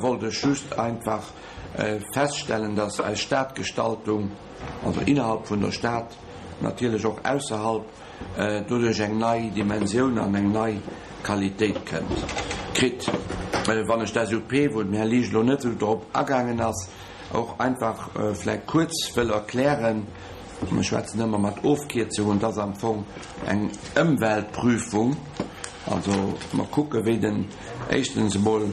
Speaker 3: wollt ech just einfach feststellen, dass eis Stadgestaltung, also innerhalb vun der Stad, natierlech och ausserhalb, doduerch eng nei Dimensioun an eng nei Qualitéit kënnt, kritt. Wann ech d'S U P, wou den Här Liesch elo net esou drop agaangen ass, och einfach vläicht kuerz wëll erklären, mir schwätzen ëmmer mat Ofkierzungen, dat ass am Fong eng Ëmweltprüfung, also mer kucke wéi den éischtens emol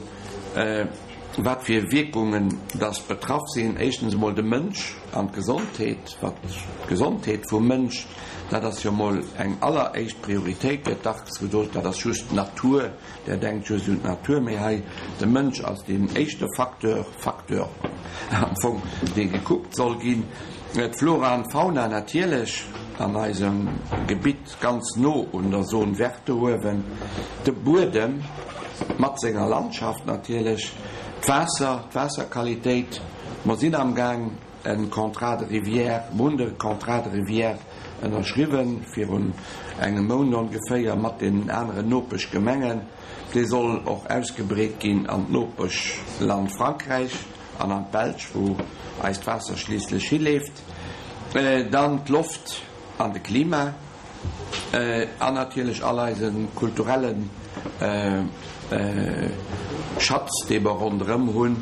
Speaker 3: wat fir Wierkungen dass betraff sinn, éischtens emol de Mënsch an d'Gesondheet, wat d'Gesondheet vum Mënsch, dat ass jo emol eng alleréischt Prioritéit, gëtt dacks gesot, dat ass just d'Natur, der denkt just un d'Natur, mee hei de Mënsch ass deen éischte Facteur, Facteur am Fong, dee gekuckt soll ginn. D'Flora an d'Fauna natierlech an eisem Gebitt ganz no un der Zone verte uewen, de Buedem mat senger Landschaft natierlech, d'Waasser, d'Waasserqualitéit. Mer sinn amgaang e Contrat de rivière, mer hunn de Contrat de rivière ënnerschriwwen virun engem Mount ongeféier mat deenen aneren Nopeschgemengen. Dee soll och ausgebreet ginn an d'Nopeschland Frankräich an an d'Belsch, wou eist Waasser schliisslech hileeft. Dann d'Loft an de Klima an natierlech all eise kulturelle Schatz, dee mer ronderëm hunn,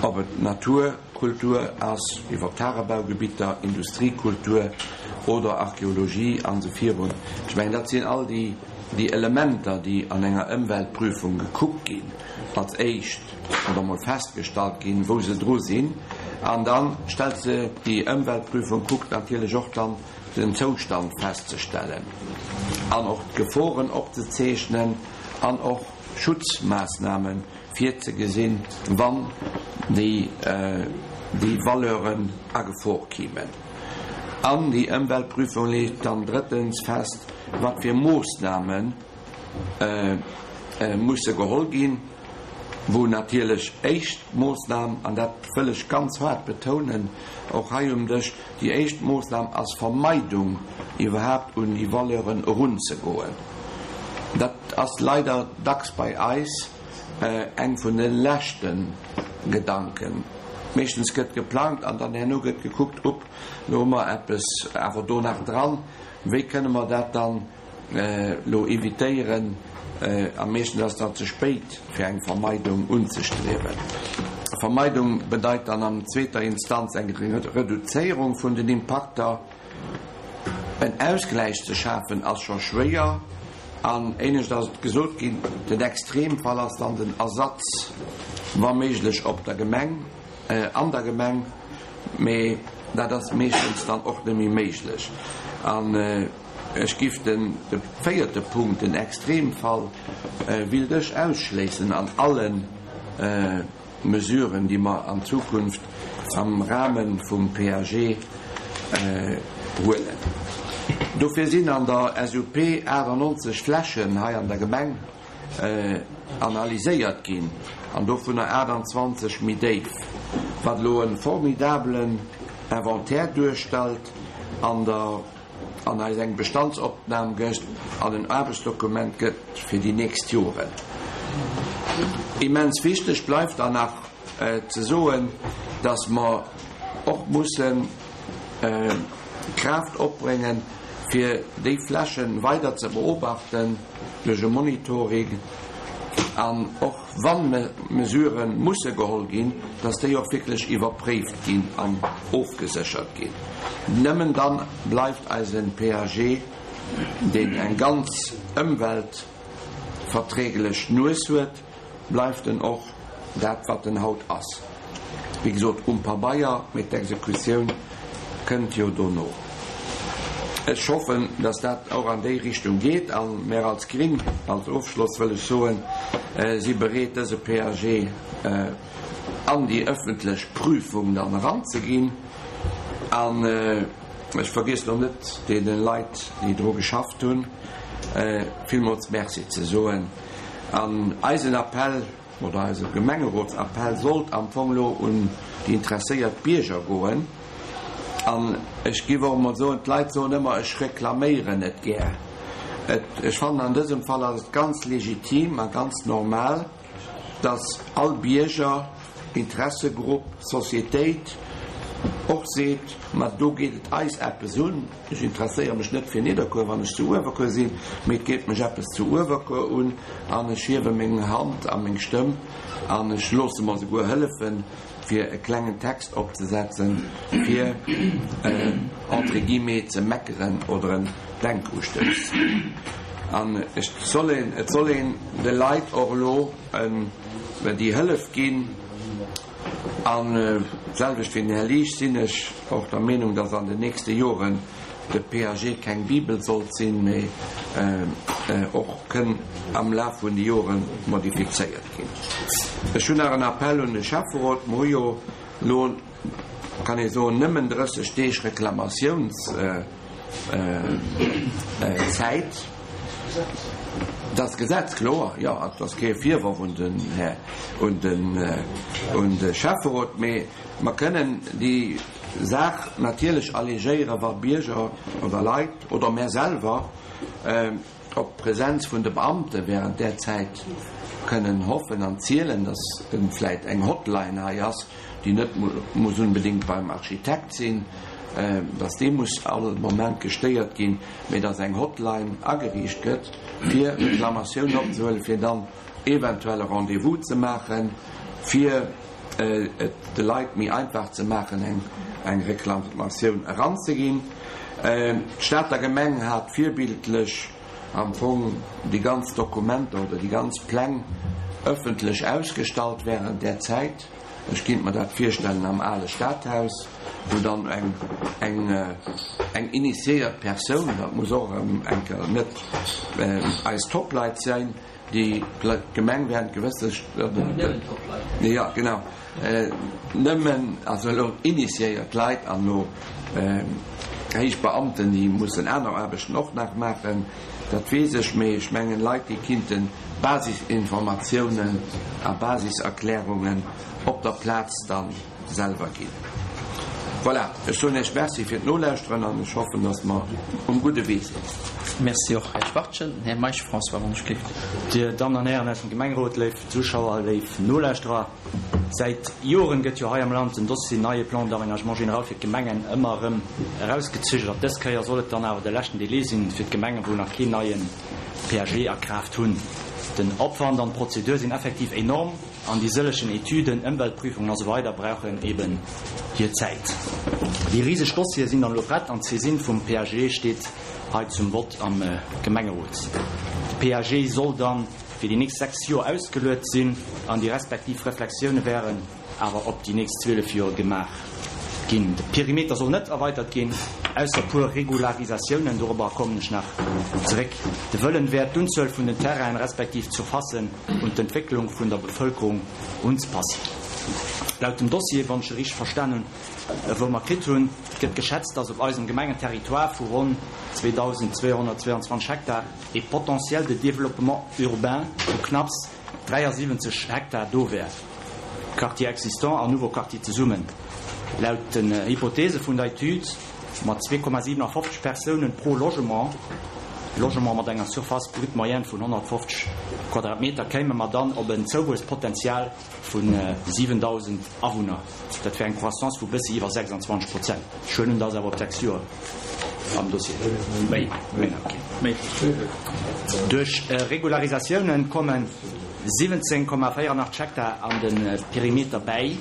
Speaker 3: ob et Naturkultur ass, iwwer Tagebaugebitter, Industriekultur oder Archeologie an esou virun. Ech mengen, dat sinn all déi déi Elementer, déi an enger Ëmweltprüfung gekuckt ginn, als éischt oder mol festgestallt ginn, wou se dru sinn, an da stellt se déi Ëmweltprüfung kuckt natierlech och dann den Zoustand festzestellen an och d'Geforen opzezeechnen an och Schutzmaassname virzegesinn, wann déi déi Valeuren a Gefor kimen. An déi Ëmweltprüfung leet dann drëttens fest, wat fir Moossname musse geholl ginn, wou natierlech éischt Moossnam, an dat wëll ech ganz haart betounen, och hei um Dësch, déi éischt Moossnam ass Vermeidung, iwwerhaapt un déi Valeuren erunzegoen. Dat ass leider dacks bei eis eng vun de leschte Gedanken. Meeschtens gëtt geplangt an dann herno gëtt gekuckt, upp, elo hu mer eppes awer do nach dran, wéi kënne mer dat dann elo evitéieren? A meeschtens ass dat ze spéit, fir eng Vermeidung unzestriewen. Vermeidung bedeit dann an zweeter Instanz eng Reduzéierung vun den Impakter. En Ausgläich ze schafen ass scho schwéier an éinescht ass et gesot ginn, den Extremfall ass dann den Ersatz, wa méiglech op der Gemeng, an der Gemeng. Mee dat ass meeschtens dann och net méi méiglech. An ech giff den de véierte Punkt, den Extremfall, willt ech ausschléissen an alle Mesuren, déi mer an Zukunft am Rahme vum P A G huelen. Dofir sinn an der S U P achtannonzeg Flächen hei an der Gemeng analyséiert ginn, an dovunner aachtanzwanzeg méi déif, wat elo e formidabelen Inventaire duerstellt an der an eis eng Bestandsopnam gëtt an en Aarbechtsdokument gëtt fir déi nächst Joren. Immens wichteg bleift dann nach ze soen, dass mer och mussen Kraaft opbréngen, fir déi Flächen weider ze beobachten duerch e Monitoring, an och wann Mesurë musse geholl ginn, dass déi och wierklech iwwerpréift ginn an ofgeséchert ginn. Nëmmen dann bleift eisen P A G, deen eng ganz ëmweltverträglech Nues huet, bleift en och dat, wat en haut ass. Wéi gesot, um Pabeier, mee d'Exekutioun kënnt jo dono. Ech hoffen, dass dat och an déi Richtung geet, a mär als Gring, als Ofschloss wëll ech soen, si bereet, dëse P A G an déi ëffentlech Prüfung dann eranzeginn. An ech vergiessen och net, deene Leit, déi dru geschafft hunn, villmools Merci ze soen. An eisen Appell oder eise Gemengerotsappell sollt am Fong elo un déi interesséiert Bierger goen. An ech géif och emol soen, d'Leit soen ëmmer, ech reklaméieren net gär. Et, ech fannen, an dësem Fall ass et ganz legitim a ganz normal, dass all Bierger, Interessegrupp, Societéit och seet, ma do geet et eis eppes un. Ech interesséiere mech net fir Nidderkuer, wann ech zu Uewerkuer sinn, mee et geet mech eppes zu Uewerkuer un an ech hiewe meng Hand a meng Stëmm an ech loosse mer souguer hëllefen, fir e klengen Text opzesetzen, fir entre guillemets ze meckeren oder en Denkustouss. An ech soll een, et soll een de Leit och elo déi Hëllef ginn. An d'selwecht wéi den Här Liesch sinn ech och der Meenung, dass an den nächste Joren de P A G keng Bibel sollt sinn, mee och kënn am Laf vun de Jore modifizéiert ginn. Ech hunn nach en Appell un de Schäfferot. Mer hu jo elo, kann ee soen, nëmmen drësseg Deeg Reklamatiounszäit. Dat ass d'Gesetz, kloer, jo. Et ass kee Virworf un den Här, un den, un de Schäfferot, mee mer kënnen déi Saach natierlech allégéieren, wa Bierger oder Leit oder mär selwer op d'Präsenz vun de Beamte während där Zäit kënnen hoffen an zielen, dass vläit eng Hotline hei ass, déi net muss unbedéngt beim Architekt sinn, dass dee muss all Moment gestéiert ginn, mee dass eng Hotline ageriicht gëtt, fir Reklamatiounen opzehuelen, fir dann eventuell e Rendez-vous ze maachen, fir et de Leit méi einfach ze maachen, eng eng Reklamatioun eranzeginn. D'Stater Gemeng hat virbildlech am Fong déi ganz Dokumenter oder déi ganz Pläng ëffentlech ausgestallt während där Zäit. Ech kinnt mer dat virstellen am ale Stadhaus, wou dann eng eng eng initiéiert Persoun, dat muss och erëm eng Kéier net eis Topleit sinn, déi d'Gemeng während gewësse
Speaker 1: Nëmmen Topleit.
Speaker 3: Jo, genau, nëmmen also elo initiéiert Leit an elo héich Beamten, déi mussen aner Aarbechten och nach maachen, dat weess ech, mee ech mengen Leit, déi kinnten Basisinformatiounen a Basiserklärungen op der Plaz da selwer ginn. Voilà, ech soen Iech Merci fir d'Nolauschteren an ech hoffen, dass mer um gudde Wee sinn.
Speaker 1: Merci och, Här Schwachtgen. Här Meisch François, wann ech gleeft.
Speaker 4: Dir Dammen an Hären aus dem Gemengerot, léif Zuschauer, léif Nolauschterer, säit Joren gëtt jo hei am Land den Dossier neie Plan d'aménagement général fir d'Gemengen ëmmer erëm erausgezögert. Dës Kéier soll et dann awer de leschten Délai sinn fir d'Gemengen, wou nach keen neien P A G a Kraaft hunn. Den Opwand an d'Prozedur sinn effektiv enorm an déi sëllegen Etüden, Ëmweltprüfungen a sou weider brauchen eben hir Zäit. Déi riseg Dossiere sinn dann elo prett an d'Saisine vum P A G steet hei zum Vott am Gemengerot. De P A G soll dann fir déi nächst sechs Joer ausgeluet sinn an déi respektiv Reflexioune wären awer op déi nächst zwielef Joer gemaach ginn. De Perimeter soll net erweitert ginn, ausser puer Regularisatiounen, dorobber kommen ech nach zeréck. De Wëllen wär, d'Unzuel vun den Terrainen respektiv d'Surfacen un d'Entwécklung vun der Bevëlkerung unzepassen. Laut dem Dossier, wann ech e richteg verstan hunn, wou mer kritt hunn, gëtt geschätzt, dass op eisem Gemengenterritoire vu ronn zweedausendzweehonnertzweeandzwanzeg Hektar e Potentiel de développement urbain vu knapps dräiasiwwenzeg Hektar do wär, Quartier existant an nouveau Quartier zesummen. Laut den Hypothese vun der Etüd mat zwee Komma siwenafofzeg Persounen pro Logement, Logement mat enger Surface brute moyenne vun honnertfofzeg Quadratmeter, kéime mer dann op en Zouwuesspotenzial vu siwendausend Awunner. Dat wär eng Croissance vu bëssi iwwer sechsandzwanzeg Prozent. Ech huelen un, dat ass awer op sechs Joer am Dossier. Méi, méi, okay. Méi. Duerch Regularisatiounen komme siwwenzéng Komma véieranacht Hektar an de Perimeter bäi.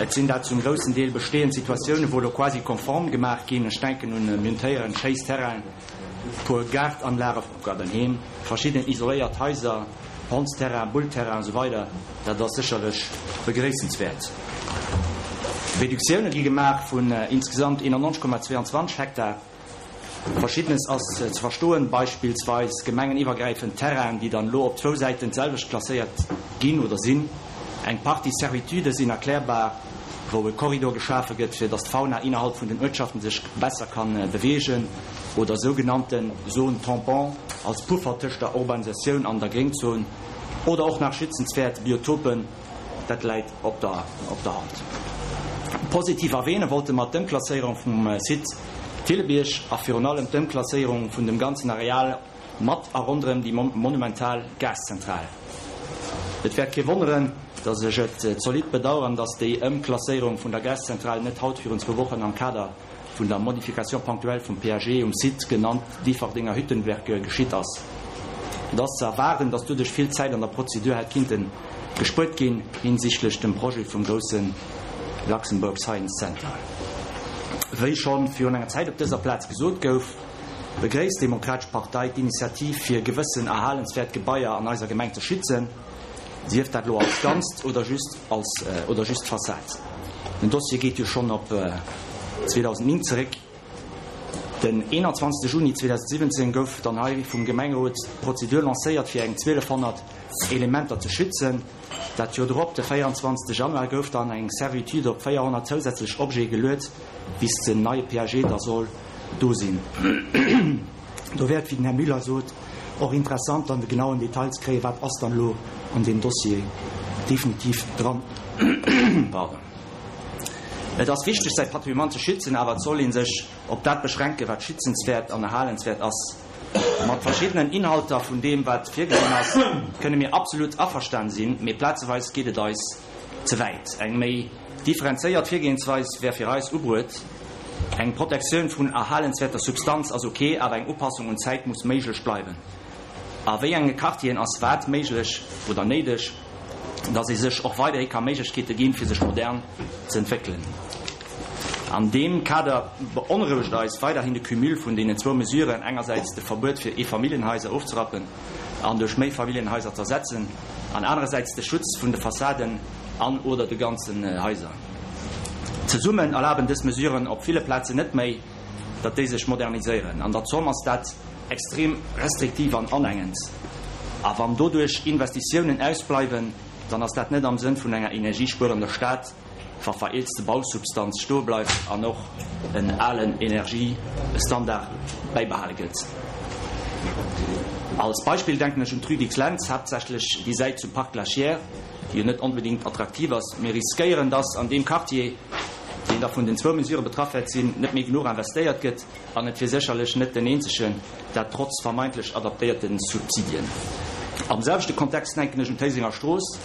Speaker 4: Et sinn dat zum groussen Deel bestehend Situatiounen, wou elo quasi konform gemaach ginn. Ech denken un Müntéieren, Schéissterrainen, puer Gaartanlage, Gaardenheem, verschidden isoléiert Haiser, Hondsterrain, Bullterrain an esou weider. Dat ass sécherlech begréissenswäert. Reduktioune gi gemaach vun insgesamt eenannonzeg Komma zweeandzwanzeg Hektar. Verschiddenes ass ze verstoen, beispillsweis gemengeniwwergräifend Terrainen, déi dann elo op zwou Säiten d'selwecht klasséiert ginn oder sinn. Eng Partie Servitude sinn erklärbar, wou e Korridor geschafe gëtt, fir datt d'Fauna innerhalb vun den Uertschaften sech besser kann beweegen, oder sougenannten Zones tampons als Puffer tëscht der Urbanisatioun an der Gréngzon, oder och nach schützenswäert Biotopen, dat läit op der op der Hand. Positiv erwähne wollte mer d'Ëmklasséierung vum Site Thillebierg a virun allem d'Ëmklasséierung vun dem ganzen Areal mat a ronderëm déi monumental Gaszentral. Et wäert kee wonneren, datt ech et zolidd bedauern, datt déi Ëmklasséierung vun der Gaszentral net haut virun zwou Wochen am Kader vun der Modification ponctuelle vum P A G um Site, genannt Differdinger Hüttenwerke, geschitt ass. Et ass ze erwaarden, datt doduerch vill Zäit an der Prozedur hätt kinnte gespuert ginn hinsichtlech dem Projet vum grousse Luxembourg Science Center. Wéi scho virun enger Zäit op dëser Plaz gesot gouf, begréisst d'Demokratesch Partei d'Initiativ fir gewëssen erhalenswäert Gebaier an eiser Gemeng ze schützen, sief dat elo als Ganzt oder just als oder just d'Fassad. Den Dossier geet jo schonn op zweedausendnéng zeréck. Den eenanzwanzegste Juni zweedausendsiwwenzéng gouf dann hei vum Gemengerot d'Prozedur lancéiert fir eng zwielefhonnert Elementer ze schützen. Dat Joer drop, de véierundzwanzegste Januar, gouf dann eng Servitude op véierhonnert zousätzlech Objete geluet, bis den neie P A G da soll do sinn. Do wär et, wéi den Här Müller sot, och interessant dann de genauen Detail ze kréien, wat ass dann elo an deem Dossier definitiv dran. Pardon. Et ass wichteg, säi Patrimoine ze schützen, awer et soll ee sech op dat beschränken, wat schützenswäert an erhalenswäert ass. Mat verschiddenen Inhalter vun deem, wat virgesinn ass, kënne mir absolut averstan sinn, mee plazeweis geet et eis ze wäit. Eng méi differenzéiert Virgehensweis wär fir eis ubruet. Eng Protektioun vun erhalenswäerter Substanz ass ok, awer eng Upassung un d'Zäit muss méiglech bleiwen. A wéi enge Quartieren ass wat méiglech oder néideg, dass ee sech och weiderhi ka Méiglechkeete ginn, fir sech modern ze entwéckelen? An deem Kader beonrouegt eis weiderhin de Cumul vun deenen zwou Mesuren, engersäits de Verbuet fir Eefamilljenhaiser ofzerappen an duerch Méifamilljenhaiser z'ersetzen, an anerersäits de Schutz vun de Fassaden an oder de ganzen Haiser. Zesummen erlaben dës Mesuren op ville Plazen net méi, datt déi sech moderniséieren. An der Zomm ass dat extrem restriktiv an anengend. A wann doduerch Investitiounen ausbleiwen, dann ass dat net am Sënn vun enger energiespuerender Stad, wa vereelzte Bausubstanz stoe bleift an och en alen Energiestandard bäibehale gëtt. Als Beispill denken ech un d'Rue Dicks-Lentz, haaptsächlech déi Säit zum Parc Glaciaire, déi jo net onbedéngt attraktiv ass. Mir riskéieren, dass an deem Quartier, deen da vun den zwou Mesurë betraff wäert sinn, net méi genuch investéiert gëtt, an et wier sécherlech net den eenzegen, dat trotz vermeintlech adaptéierte Subsidien. Am selwechte Kontext denken ech un d'Héisinger Strooss.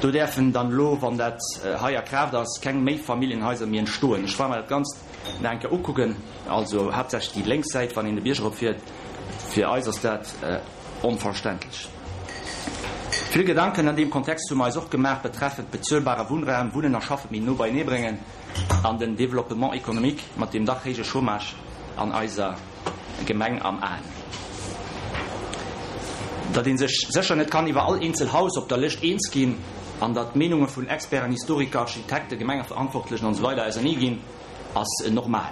Speaker 4: Do däerfen dann elo, wann dat hei a Kraaft ass, keng Méifamilljenhaiser méi entstoen. Ech war mer dat Ganzt nach eng Kéier ukucken, also haaptsächlech déi lénks Säit, wann een de Bierg eropfiert. Fir eis ass dat onverständlech. Vill Gedanken an deem Kontext hu mer eis och gemaach betreffend bezuelbare Wunnraum, Wunnen a Schaffe méi no beienee bréngen an den Développement économique mat deem dach héije Chômage an eiser Gemeng am Aen. Datt ee sech sécher net kann iwwer all eenzel Haus op der Lëscht eens ginn, An datt d'Meenunge vun Experten, Historiker, Architekten, Gemengeverantwortlechen an esou weider ausernee ginn, ass normal.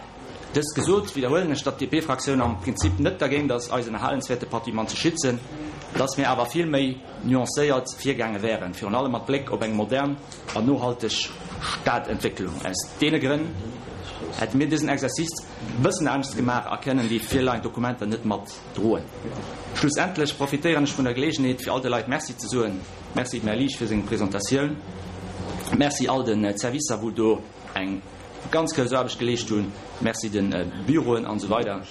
Speaker 4: Dëst gesot, widderhuelen ech, datt d'DP-Fraktioun am Prinzip net dergéint ass, eisen erhalenswäerte Patrimoine ze schützen, datt mir awer vill méi nuancéiert virgaange wären, virun allem mat Bléck op eng modern an nohalteg Stadentwécklung. Aus deene Grënn hätte mir dësen Exercice e bëssen anescht gemaach a kënnen déi virleiend Dokumenter net mat droen. Schlussendlech profitéieren ech vun der Geleegenheet, fir all de Leit Merci ze soen. Merci dem Här Liesch fir seng Presentatioun. Merci all den Servicer, wou do eng ganz grouss Aarbecht geleescht hunn. Merci de Büroen an esou weider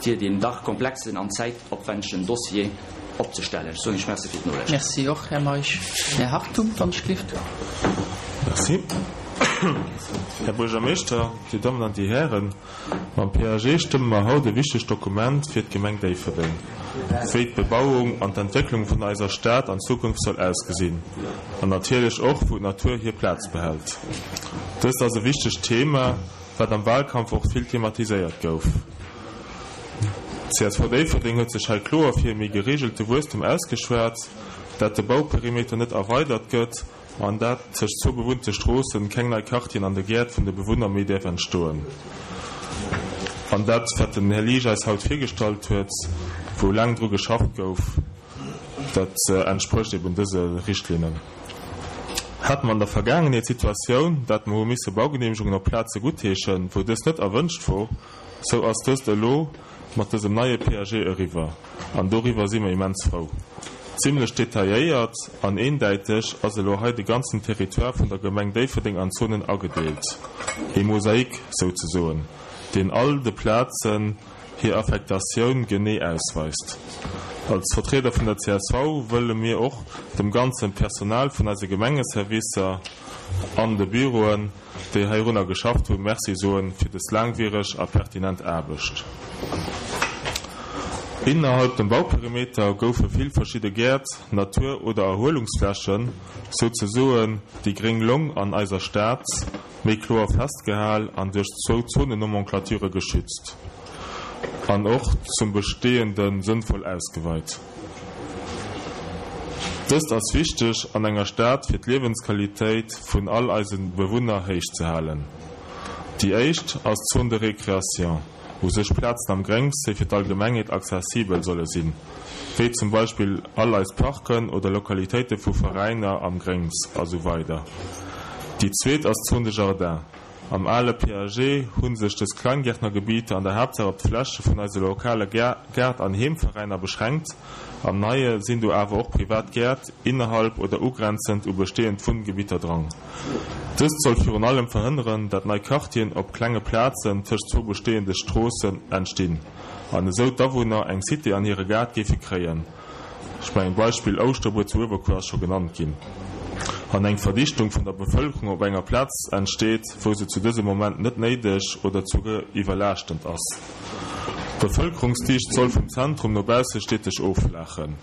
Speaker 4: fir deen dach komplexen an zäitopwändegen Dossier opzestellen. Ech soen Iech Merci fir d'Nolauschteren.
Speaker 1: Merci och, Här Meisch. Här Hartung, wann ech gelift.
Speaker 5: Merci. Här Buergermeeschter, Dir Dammen an Dir Hären, mam P A G stëmme mer haut e wichtegt Dokument fir d'Gemeng Déifferdeng, wéi d'Bebauung an d'Entwécklung vun eiser Stad an Zukunft soll ausgesinn, an natierlech och, wou d'Natur hir Plaz behält. Dëst ass e wichtegt Thema, wat am Wahlkampf och vill thematiséiert gouf. C S V Déifferdeng huet sech hei kloer fir e méi gereegelte Wuesstum ausgeschwat, dat de Bauperimeter net erweidert gëtt an dat tëscht zwou bewunnte Stroossen keng nei Quartieren an de Gäert vun de Bewunner méi däerf entstoen. An dat, wat den Här Liesch eis haut virgestallt huet, wou laang dru geschafft gouf, dat entsprécht eben dëse Richtlinnen. Hate mer an der Vergaangenheet d'Situatioun, dat mer hu misse Baugeneemegungen op Plaze guttheeschen, wou dëst net erwënscht wor, sou ass dëst elo mat dësem neie P A G eriwwer, an doriwwer si mer immens frou. Zimlech detailléiert an eendäiteg ass elo hei de ganzen Territoire vun der Gemeng Déifferdeng an Zonen agedeelt, e Mosaik souzesoen, deen all de Plazen hir Affektatioun genee ausweist. Als Vertrieder vun der C S V wëlle mir och dem ganze Personal vun eise Gemengeservicer an de Büroen, déi heirunner geschafft hunn, Merci soen fir dës laangwiereg a pertinent Aarbecht. Innerhalb dem Bauperimeter goufe vill verschidde Gäert, Natur oder Erhuelungsflächen, souzesoen déi gréng Long an eiser Stad, méi kloer festgehal an duerch zwou Zonennomenclaturë geschützt an och zum Bestehende sënnvoll ausgeweit. Dëst ass wichteg an enger Stad fir d'Liewensqualitéit vun all eise Bewunner héich ze halen. Déi éischt ass d'Zone de récréation, u sech Plazen am Gréngs, déi fir d'Allgemengheet accessibel solle sinn, wéi zum Beispill all eis Parken oder Lokalitéite vu Veräiner am Gréngs a sou weider. Déi zweet ass d'Zone de jardin. Am ale P A G hu sech dës Kleingärtnergebieter an der Haaptsaach op d'Fläche vun eise lokale Gaart an Heemveräiner beschränkt, am Neie sinn do awer och privat Gäert innerhalb oder ugrenzend u bestehend Wunngebieter dran. Dëst soll virun allem verhënneren, dat nei Quartieren op klenge Plazen tëscht zwou bestehende Stroossen entstinn an esou d'Awunner eng Cité an hire Gaart géife kréien, ech mengen d'Beispill Ouschterbuer zu Uewerkuer ass scho genannt ginn, an eng Verdichtung vun der Bevëlkerung op enger Plaz entsteet, wou se zu dësem Moment net néideg oder souguer iwwerlaaschtend ass. D'Bevëlkerungsdicht soll vum Zentrum no bausse steteg offlaachen.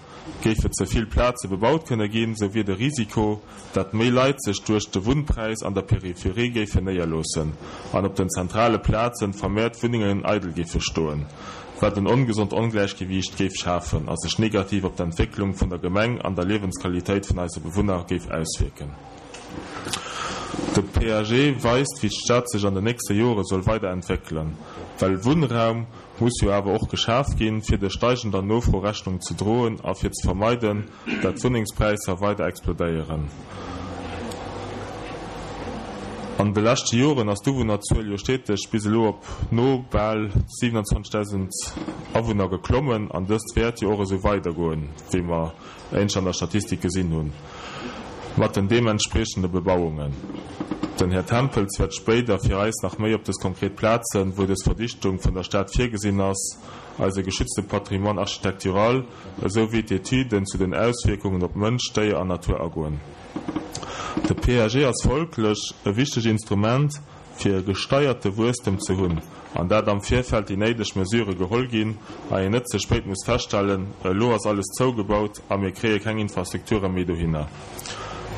Speaker 5: Géife ze vill Plaze bebaut kënne ginn, sou wier de Risiko, dat méi Leit sech duerch de Wunnpräis an der Peripherie géifen néierloossen an op den zentrale Plaze vermehrt Wunnengen eidel géife stoen, wat en ongesond Ongläichgewiicht géif schafen a sech negativ op d'Entwécklung vun der Gemeng an der Liewensqualitéit vun eise Bewunner géif auswierken. De P A G weist, wéi d'Stad sech an den nächste Jore soll weiderentwéckelen, well Wunnraum muss jo awer och geschaf ginn, fir der steigender Nofro Rechnung ze droen a fir ze vermeiden, dat d'Wunnengspräisser weider explodéieren. An de leschte Joren ass d'Uwunnerzuel jo steteg bis elo op no bal siewenundzwanzegdausend Awunner geklommen an dëst wäert jo och esou weidergoen, wéi mer éinescht an der Statistik gesinn hunn, mat den deementspriechende Bebauungen. Den Här Tempels wäert spéider fir eis nach méi op dës konkret Plazen, wou dës Verdichtung vun der Stad virgesinn ass, eise geschützte Patrimoine architectural, esou wéi d'Etüden zu den Auswierkungen op Mënsch, Déier an Natur agoen. De P A G ass folglech e wichtegt Instrument, fir e gesteierte Wuesstem ze hunn, an dat am Virfeld déi néideg Mesure geholl ginn a een net ze spéit muss feststellen, elo ass alles zougebaut a mir kréie keng Infrastrukture méi dohinner.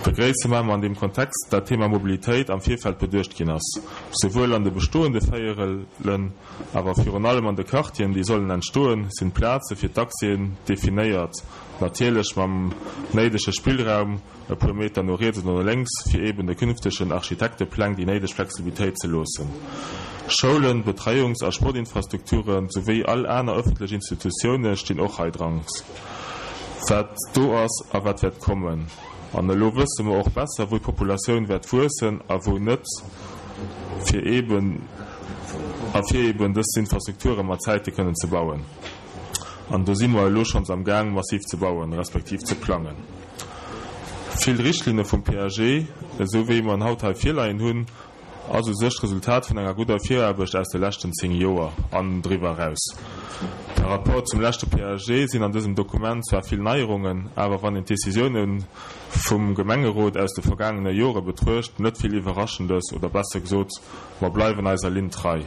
Speaker 5: Begréisse mer an deem Kontext, dat d'Thema Mobilitéit am Virfeld beduecht ginn ass, souwuel an de bestoende Véierelen, awer virun allem an de Quartieren, déi sollen entstoen, sinn d'Plaze fir d'Taxien definéiert, natierlech mam néidege Spillraum, e puer Meter no riets oder no lénks, fir eben de künftegen Architektepläng déi néideg Flexibilitéit ze loossen. Schoulen, Betreiungs a Sportinfrastrukture souwéi all aner ëffentlech Institutioune stinn och hei dran. Wat do ass a wat wäert kommen. An elo wësse mer och besser, wou d'Populatioun wäert wuessen a wou net, fir eben a fir eben dës Infrastrukture mat Zäite kënnen ze bauen. An do si mer elo schonns am Gaang, massiv ze bauen, respektiv ze plangen. Vill Richtlinne vum P A G, esou wéi mer en haut hei virleien hunn, ass u sech d'Resultat vun enger gudder Viraarbecht aus de leschten zéng Joer an driwwer eraus. Par rapport zum leschte P A G sinn an dësem Dokument zwar vill Neierungen, awer wann een d'Decisioune vum Gemengerot aus de vergaangene Jore betruecht, net vill Iwwerraschendes, oder besser gesot, mer bleiwen eiser Linn trei.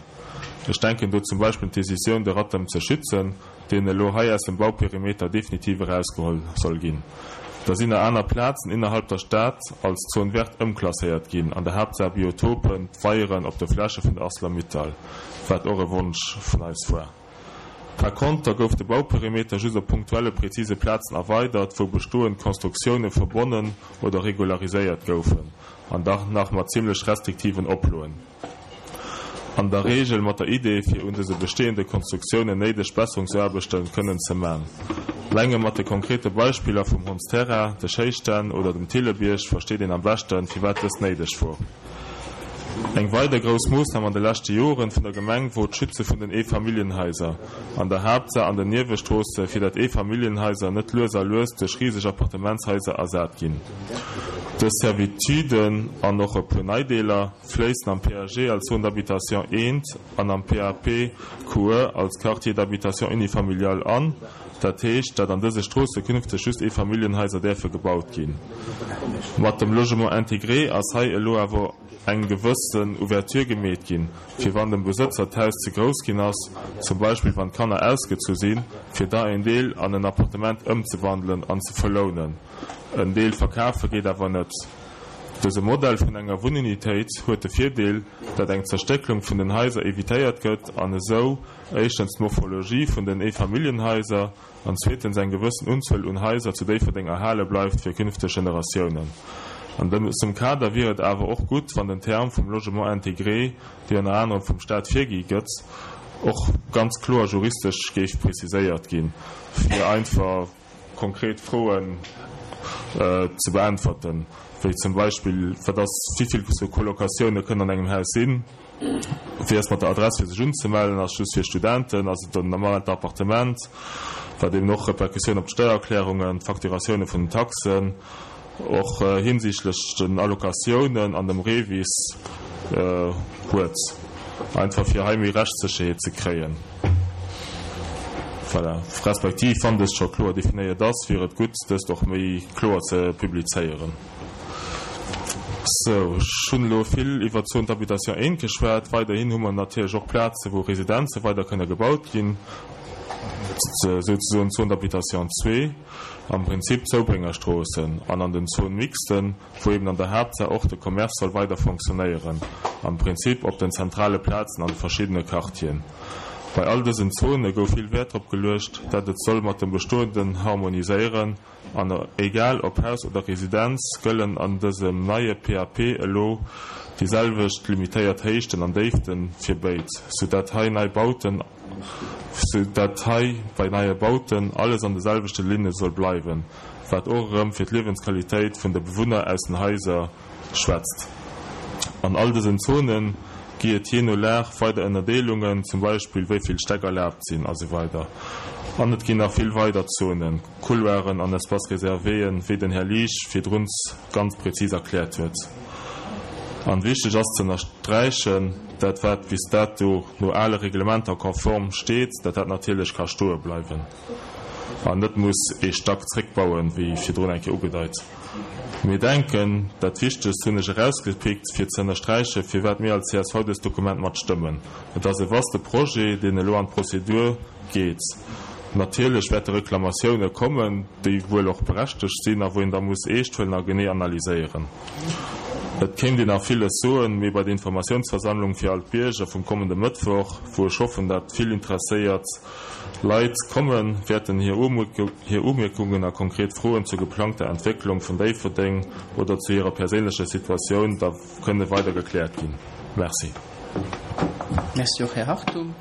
Speaker 5: Ech denken do zum Beispill un d'Decisioun, de Rattem ze schützen, deen elo hei aus dem Bauperimeter definitiv erausgeholl soll ginn. Da sinn nach aner Plazen innerhalb der Stad als Zone verte ëmklasséiert ginn, an der Haaptsaach Biotopen, d'Weieren op de Fläche vun der Arcelor-Mittal, wat och e Wonsch vun eis war. Par konter gouf de Bauperimeter just op punktuelle prezise Plazen erweidert, wou bestoend Konstruktioune verbonnen oder regulariséiert goufen, an dach nach mat zimmlech restriktiven Oploen. An der Reegel mat der Idee, fir un dëse bestehende Konstruktiounen néideg Besserungsaarbechte kënnen ze man. Elenge mat de konkrete Beispiller vum Hondsterrain, de Schéistänn oder dem Thillebierg versteet een am beschten, firwat dëst néideg wor. Eng weider grouss Moossnam an de leschte Joren vun der Gemeng wor d'Schütze vun den Eefamilljenhaiser, an der Haaptsaach an den Niewestroosse, fir dat Eefamilljenhaiser net lues a lues duerch riseg Appartementshaiser ersat ginn. Dës Servituden an och e puer nei Deeler fléissen am P A G als Zone d'habitation eent an am P A P Q E als Quartier d'habitation unifamilial an. Dat heescht, dat an dëse Stroosse künfteg just Eefamilljenhaiser däerfe gebaut ginn. Mat dem Logement intégré ass hei elo awer eng gewëssen Ouverture gemeet ginn, fir wann dem Besëtzer d'Haus ze grouss ginn ass, zum Beispill wann d'Kanner ausgezu sinn, fir da en Deel an en Appartement ëmzewandelen an ze verlounen. En Deel verkafe geet awer net. Dëse Modell vun enger Wunnunitéit huet de Virdeel, dat eng Zerstécklung vun den Haiser evitéiert gëtt an esou éischtens d'Morphologie vun den Eefamilljenhaiser an zweetens eng gewëssen Unzuel un Haiser zu Déifferdeng erhale bleift fir künfteg Generatiounen. An dësem Kader wier et awer och gutt, wann den Term vum Logement intégré, dee ënner anerem vum Staat virgi gëtt, och ganz kloer juristesch géif preziséiert ginn, fir einfach konkret Froen ze beäntwerten, wéi zum Beispill, wat ass, wéi vill sou Colocatioune kënnen an engem Haus sinn, wéi ass mat der Adress fir sech unzemellen, ass just fir Studenten, ass et en normalt Appartement, wat eben och Repercussioun op d'Steiererklärungen, d'Facturatioune vun den Taxen, och hinsichtlech den Allocatiounen an dem REVIS huet, einfach fir hei méi Rechtssécherheet ze kréien. Voilà. Respektiv, wann dëst scho kloer definéiert ass, wier et gutt, dëst och méi kloer ze publizéieren. Sou, ech hunn elo vill iwwer d'Zone d'habitation eent geschwat. Weiderhin hu mer natierlech och Plaze wou Residenze weider kënne gebaut ginn, souzesoen d'Zone d'habitation zwee, am Prinzip d'Zoubréngerstroossen, an an den Zones mixtes, wou eben an der Haaptsaach och de Commerce soll weider fonctionnéieren, am Prinzip op den zentrale Plazen an de verschiddene Quartieren. Bei all dësen Zone gouf vill Wäert drop geluecht, dat et soll mat dem Bestoenden harmoniséieren an egal ob Haus oder Residenz gëllen an dësem neie P A P elo déi selwecht limitéiert Héichten an Déifte fir béid, sou dat hei nei Bauten sou dat hei bei neie Bauten alles an de selwechte Linne soll bleiwen, wat och erëm fir d'Liewensqualitéit vun de Bewunner aus den Haiser schwätzt. An all dësen Zone gi et jee no Lag weider Ënnerdeelungen, zum Beispill wéi vill Stäck erlaabt sinn a sou weider. An et ginn nach vill weider Zonen, Couloiren an Espaces réservéen, wéi den Här Liesch virdrun ganz prezis erkläert huet. An wichteg ass ze ënnersträichen, dat wat bis dato no ale Reglementer konform steet, dat dat natierlech ka stoe bleiwen an net muss ee Stack zréckbauen, wéi virdrun eng Kéier ugedeit. Mir denken, dat Wichtegst hunn ech erausgepickt, fir ze ënnersträichen, firwat mir als C S V dëst Dokument matstëmmen. Et ass e vaste Projet, deen elo an d'Prozedur geet. Natierlech wäerte Reklamatioune kommen, déi wuel och berechtegt sinn a wou een da muss eescht huelen a genee analyséieren. Et kéint een nach villes soen, mee bei der Informatiounsversammlung fir all d'Bierger vum kommende Mëttwoch, wou ech hoffen, dat vill interesséiert Leit kommen, wäerten hir Umierkungen a konkret Froen zur geplangter Entwécklung vun Déifferdeng oder zu hirer perséinlecher Situatioun da kënne weider gekläert ginn. Merci.
Speaker 1: Merci och, Här Hartung.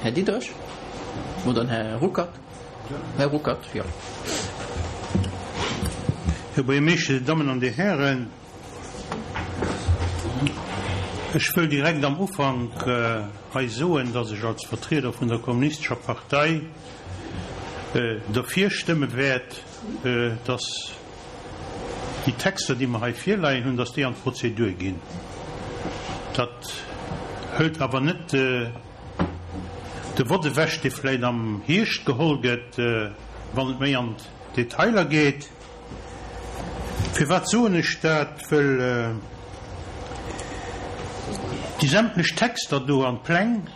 Speaker 1: Här Diderich oder den Här Ruckert? Här Ruckert, jo.
Speaker 6: Här Buergermeeschter, Dir Dammen an Dir Hären, ech wëll direkt am Ufank hei soen, dass ech als Vertrieder vun der Kommunistescher Partei derfir stëmme wäert, dass déi Texter, déi mer hei virleien hunn, dass déi an d'Prozedur ginn. Dat hëlt awer net de Vott ewech, dee vläicht am Hierscht geholl gëtt, wann et méi an d'Detailer geet. Firwat soen ech dat? Wëll déi sämtlech Texter do an d'Pläng,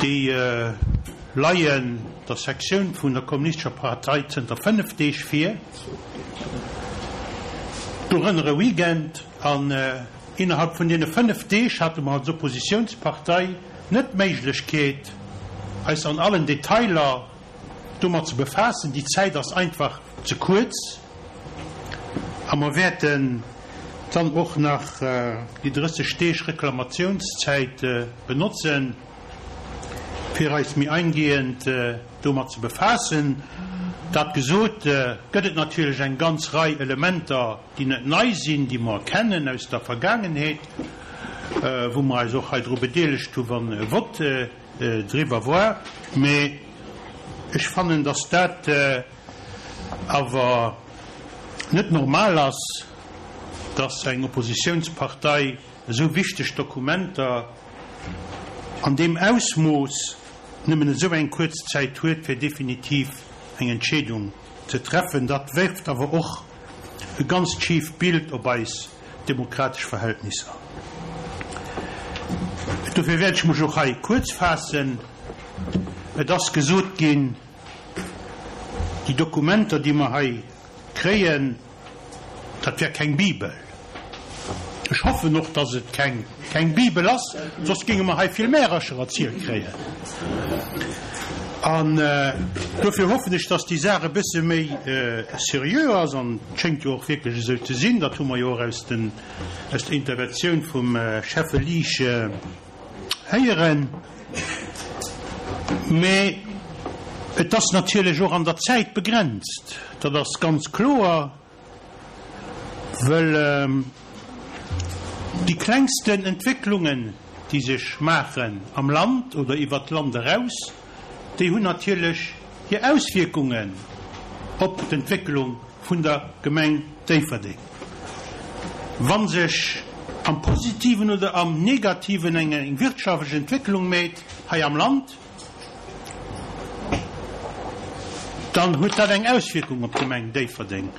Speaker 6: déi leien der Sektioun vun der Kommunistescher Partei zënter fënnef Deeg vir, dorënner e Weekend. An innerhalb vun deene fënnef Deeg hate mer als Oppositiounspartei net d'Méiglechkeet, eis an allen Detailer domat ze befaassen. Déi Zäit ass einfach ze kuerz. A mer wäerten dann och nach déi drësseg Deeg Reklamatiounszäit benotzen, fir eis méi eingehend domat ze befaassen. Dat gesot, gëtt et natierlech eng ganz Rei Elementer, déi net nei sinn, déi mer kennen aus der Vergaangenheet, wou mer eis och hei dru bedeelegt hu wann e Vott driwwer war. Mee ech fannen, dass dat awer net normal ass, dass eng Oppositiounspartei esou wichteg Dokumenter an deem Ausmooss nëmmen esou eng kuerz Zäit huet, fir definitiv eng Entscheedung ze treffen. Dat werft awer och e ganzt schieft Bild op eis demokratesch Verhältnisser. Dofir wäert ech mech och hei kuerz faassen. Et ass gesot ginn, déi Dokumenter, déi mer hei kréien, dat wär keng Bibel. Ech hoffen och, dass et keng keng Bibel ass, soss géinge mer hei vill Märercher erzielt kréien. An dofir hoffen ech, dass déi Saach e bësse méi seriö ass, an et schéngt jo och wierklech esou ze sinn, dat hu mer jo och aus den aus der Interventioun vum Schäffe Liesch héieren. Mä et ass natierlech och an der Zäit begrenzt, dat ass ganz kloer, wëll déi klengsten Entwécklungen, déi sech maachen am Land oder iwwert d'Land eraus, déi hunn natierlech hir Auswierkungen op d'Entwécklung vun der Gemeng Déifferdeng. Wa sech am Positiven oder am Negativen eng wirtschaftlech Entwécklung méit hei am Land, dann huet dat eng Auswierkung op d'Gemeng Déifferdeng.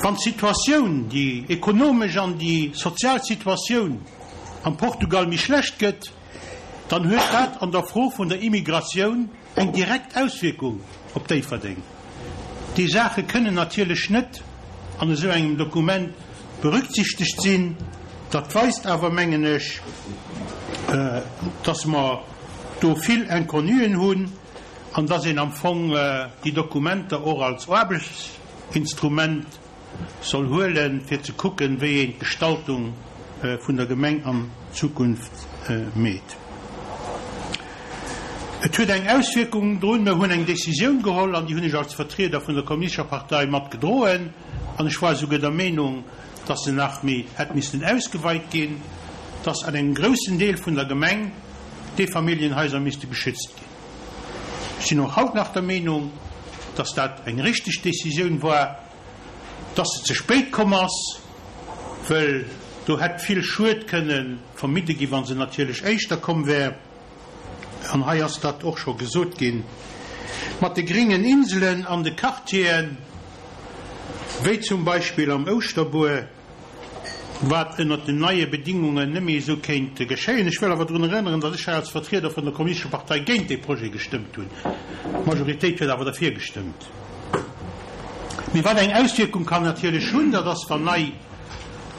Speaker 6: Wann d'Situatioun, déi ekonomesch an déi sozial Situatioun am Portugal méi schlecht gëtt, dann huet dat an der Fro vun der Immigratioun eng direkt Auswierkung op Déifferdeng. Déi Saache kënnen natierlech net an esou engem Dokument berücksichtegt sinn. Dat weist awer, mengen ech, dass mer do vill Inconnuen hunn an dass een am Fong déi Dokumenter och als Aarbechtsinstrument soll huelen, fir ze kucken, wéi een d'Gestaltung vun der Gemeng an Zukunft meet. Et huet eng Auswierkung drun, Mer hunn eng Décisioun geholl, an déi hunn ech als Vertrieder vun der Kommunistescher Partei mat gedroen, an ech war esouguer der Meenung, dass se nach méi hätt missten ausgeweit ginn, dass an engem groussen Deel vun der Gemeng d'Eefamilljenhaiser misste geschützt ginn. Ech sinn och haut nach der Meenung, dass dat eng richteg Décisioun war, dass se ze spéit komm ass, wëll do hätt vill Schued kënne vermidde ginn, wa se natierlech éischter komm wär. An hei ass dat och scho gesot ginn, mat de gringen Inselen an de Quartieren, wéi zum Beispill am Ouschterbuer, wat ënnert den neie Bedingungen net méi esou kéint geschéien. Ech wëll awer drun erënneren, datt ech hei als Vertrieder vun der Kommunistescher Partei géint dee Projet gestëmmt hunn. D'Majoritéit huet awer derfir gestëmmt. Mee wat eng Auswierkung kann natierlech hunn, dat ass, wann nei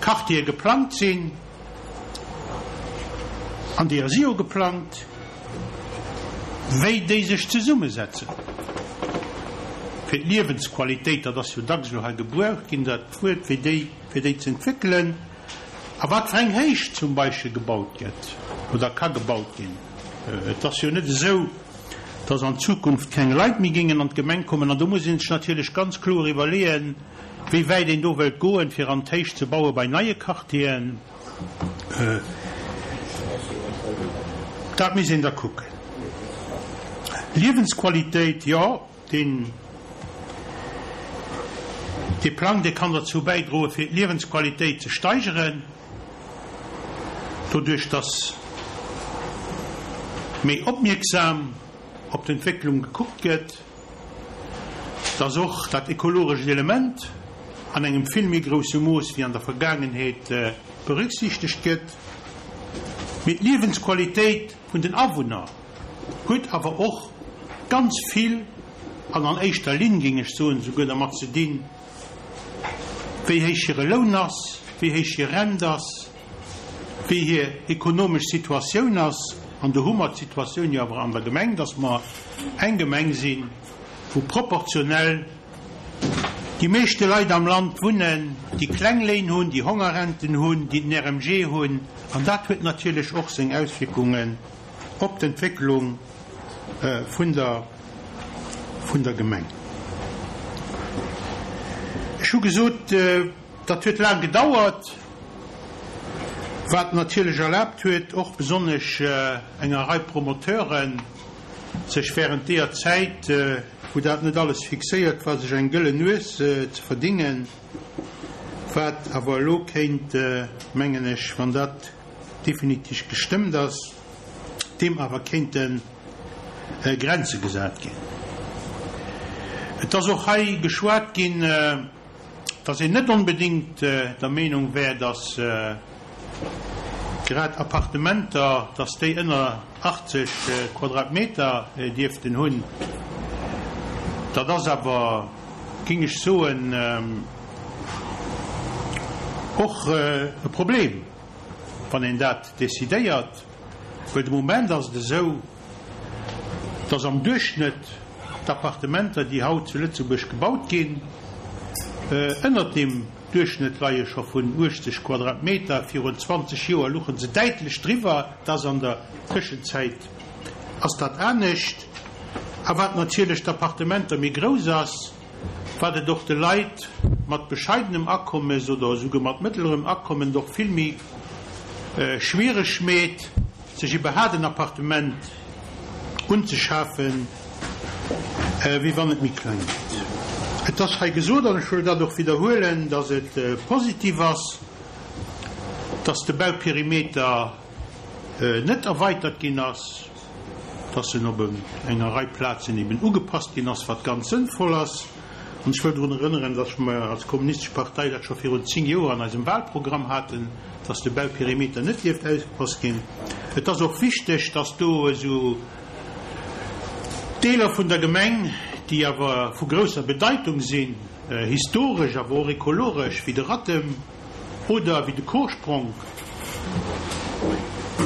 Speaker 6: Quartiere geplangt sinn, an deeër si jo geplangt, wéi déi sech zesummesetzen, fir d'Liewensqualitéit, dat ass jo dacks elo hei gebraucht ginn, dat Wuert, wéi déi, fir déi ze entwéckelen, a wat fir eng Héicht zum Beispill gebaut gëtt oder ka gebaut ginn. Et ass jo net esou, dass an Zukunft keng Leit méi géingen an d'Gemeng kommen, an do muss ee sech natierlech ganz kloer iwwerleeën, wéi wäit een do wëllt goen, fir an d'Héicht ze baue bei neie Quartieren. Dat misst een da kucken. Liewensqualitéit, jo, deen. Dee Plang, dee kann derzou bäidroen, fir d'Liewensqualitéit ze steigeren, doduerch dass méi opmierksam op d'Entwécklung gekuckt gëtt, dass och dat ekologescht Element an engem vill méi grousse Mooss wéi an der Vergaangenheet berücksichtegt gëtt. Mee d'Liewensqualitéit vun den Awunner huet awer och ganz vill, an an éischter Linn, géing ech soen, souguer dermat ze dinn, wéi héich hire Loun ass, wéi héich hir Rent ass, wéi hir ekonomesch Situatioun ass. An do hu mer d'Situatioun jo awer an der Gemeng, dass mer eng Gemeng sinn, wou proportionell déi meeschte Leit am Land wunnen, déi kleng Léin hunn, déi Hongerrenten hunn, déi den R M G hunn. An dat huet natierlech och seng Auswierkungen op d'Entwécklung vun der vun der Gemeng. Ech hu gesot, dat huet laang gedauert, wat natierlech erlaabt huet, och besonnesch enger Rei Promoteuren, sech während deeër Zäit, wou dat net alles fixéiert war, sech eng gëllen Nues ze verdingen, wat awer elo kéint, mengen ech, wann dat definitiv gestëmmt ass, deem awer kéinte Grenze gesat ginn. Et ass och hei geschwat ginn, dass een net onbedéngt der Meenung wär, dass grad Appartementer, dass déi ënner achtzeg Quadratmeter dierften hunn. Dat ass awer, géing ech soen, och e Problem, wann een dat decidéiert, well de Moment ass et esou, dass am Duerchschnëtt d'Appartementer, déi haut zu Lëtzebuerg gebaut ginn, ënnert deem Duerchschnëtt leie scho vun uechtzeg Quadratmeter. Virun zwanzeg Joer luche se däitlech driwwer. Dat ass an der Tëschenzäit ass dat anescht. A wat natierlech d'Appartementer méi grouss ass, wat et och de Leit mat bescheidenem Akommes oder esouguer mat mëttlerem Akommen och vill méi schwiereg meet, sech iwwerhaat en Appartement unzeschafen, wéi wann et méi kleng gëtt. Et ass hei gesot, an ech wëll dat och widderhuelen, dass et positiv ass, dass de Bauperimeter net erweitert ginn ass, dass en op enger Rei Plazen eben ugepasst ginn ass, wat ganz sënnvoll ass. An ech wëll drun erënneren, dass mer als Kommunistesch Partei dat scho virun zéng Joer an eisem Wahlprogramm haten, dass de Bauperimeter net dierft ausgepasst ginn. Et ass och wichteg, dass do esou Deeler vun der Gemeng, déi awer vu grousser Bedeitung sinn, historesch, awer och ekologesch, wéi de Rattem oder wéi de Korspronk,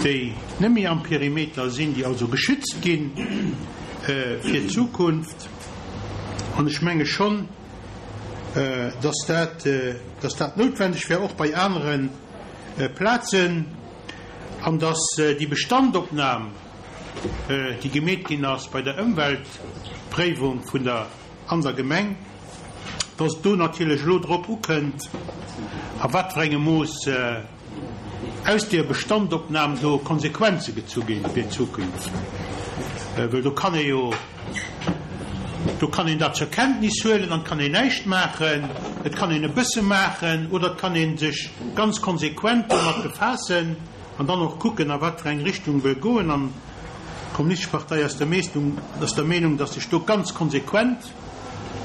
Speaker 6: déi net méi am Perimeter sinn, déi also geschützt gi fir d'Zukunft. An ech menge schonn, dass dat, dass dat noutwendeg wär, och bei anere Plazen, an dass déi Bestandopnam, déi gemeet ginn ass bei der Ëmweltpréiwung vun der an der Gemeng, dass et do natierlech elo drop ukënnt, a wat fir engem Mooss aus deer Bestandopnam do Konsequenze gezu ginn fir d'Zukunft. Well do kann ee jo, do kann een dat zur Kenntnis huelen an et kann een näischt maachen, et kann een e bësse maachen oder et kann ee sech ganz konsequent domat befaassen an dann och kucken, a wat fir eng Richtung wëll goen. An d'Kommunistesch Partei ass der Meestung, ass der Meenung, dass sech do ganz konsequent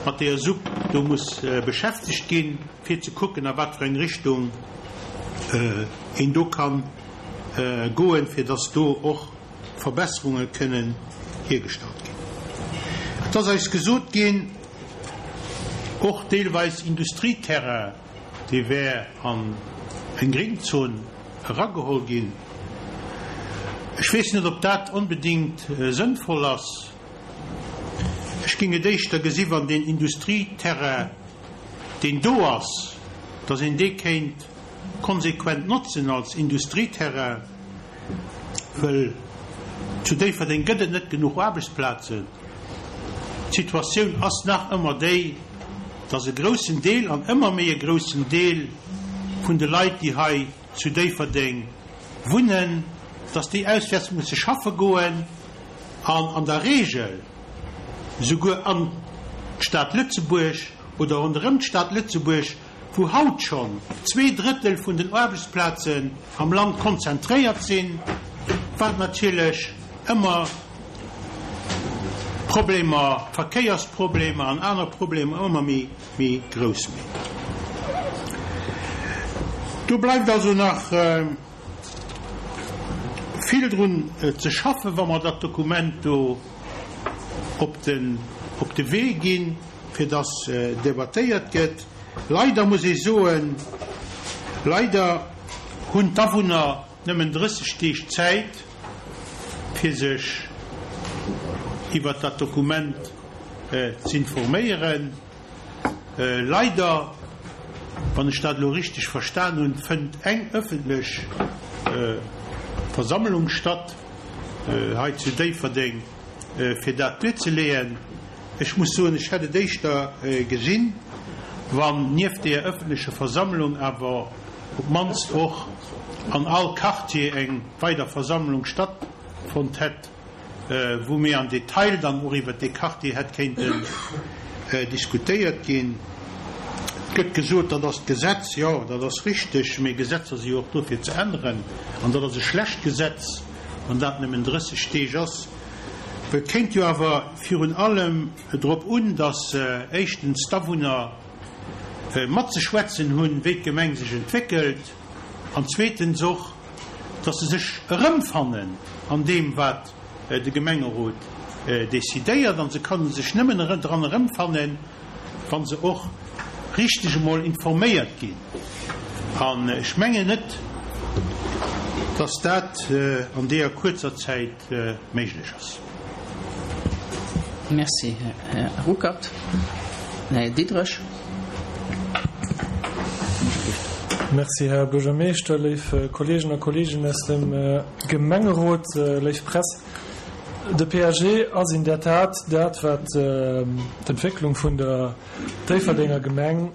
Speaker 6: mat deeër Supp do muss beschäftegt ginn, fir ze kucken, a wat fir eng Richtung een do ka goen, fir dass do och Verbesserunge kënnen hiergestallt ginn. Et ass eis gesot ginn, och deelweis Industrieterrain, dee wär an eng Gringzon erageholl ginn. Ech weess net, ob dat onbedéngt sënnvoll ass. Ech géing et éischter gesi wann deen Industrieterrain, deen do ass, dass een dee kéint konsequent notzen als Industrieterrain, wëll zu Déifferdeng gëtt et net genuch Aarbechtsplazen. D'Situatioun ass nach ëmmer déi, dass e groussen Deel, an ëmmer méi e groussen Deel vun de Leit, déi hei zu Déifferdeng wunnen, dass déi auswäerts musse schaffe goen an an der Regel souguer an d'Stad Lëtzebuerg oder ronderëm d'Stad Lëtzebuerg, wou haut schonn zwee Drëttel vun den Aarbechtsplazen am Land konzentréiert sinn, wat natierlech ëmmer Problemer, Verkéiersproblemer an aner Problemer ëmmer méi, méi grouss mécht. Do bleift also nach vill drun ze schaffen, wa mer dat Dokument do op den, op de Wee ginn, fir dass debattéiert gëtt. Leider muss ee soen, leider hunn d'Awunner nëmmen drësseg Deeg Zäit, fir sech iwwert dat Dokument z'informéieren. Leider, wann ech dat elo richteg verstan hunn, fënnt eng ëffentlech Versammlung statt hei zu Déifferdeng, fir dat duerzeleeën. Ech muss soen, ech hätt et éischter gesinn, wann nieft deeër ëffentlecher Versammlung awer op d'mannst och an all Quartier eng weider Versammlung stattfonnt hätt, wou méi am Detail dann och iwwert dee Quartier hätt kéinten diskutéiert ginn. Et gëtt gesot, dat ass d'Gesetz. Jo, dat ass richteg, mee Gesetzer si jo och do fir ze änneren. An dat ass e schlecht Gesetz, wann dat nëmmen drësseg Deeg ass. Et kéint jo awer virun allem drop un, datt éischtens d'Awunner matzeschwätzen hunn, wéi d'Gemeng sech entwéckelt, an zweetens och, datt se sech erëmfannen an deem, wat de Gemengerot decidéiert. An se kënne sech nëmmen dran erëmfannen, wa se och richteg emol informéiert ginn. An ech mengen net, datt dat an deeër kuerzer Zäit méiglech ass.
Speaker 1: Merci, Här Ruckert. Här Diderich.
Speaker 7: Merci, Här Buergermeeschter, léif Kolleegen a Kolleegen aus dem Gemengerot, léif Press. De P A G ass in der Tat dat, wat d'Entwécklung vun der Déifferdenger Gemeng,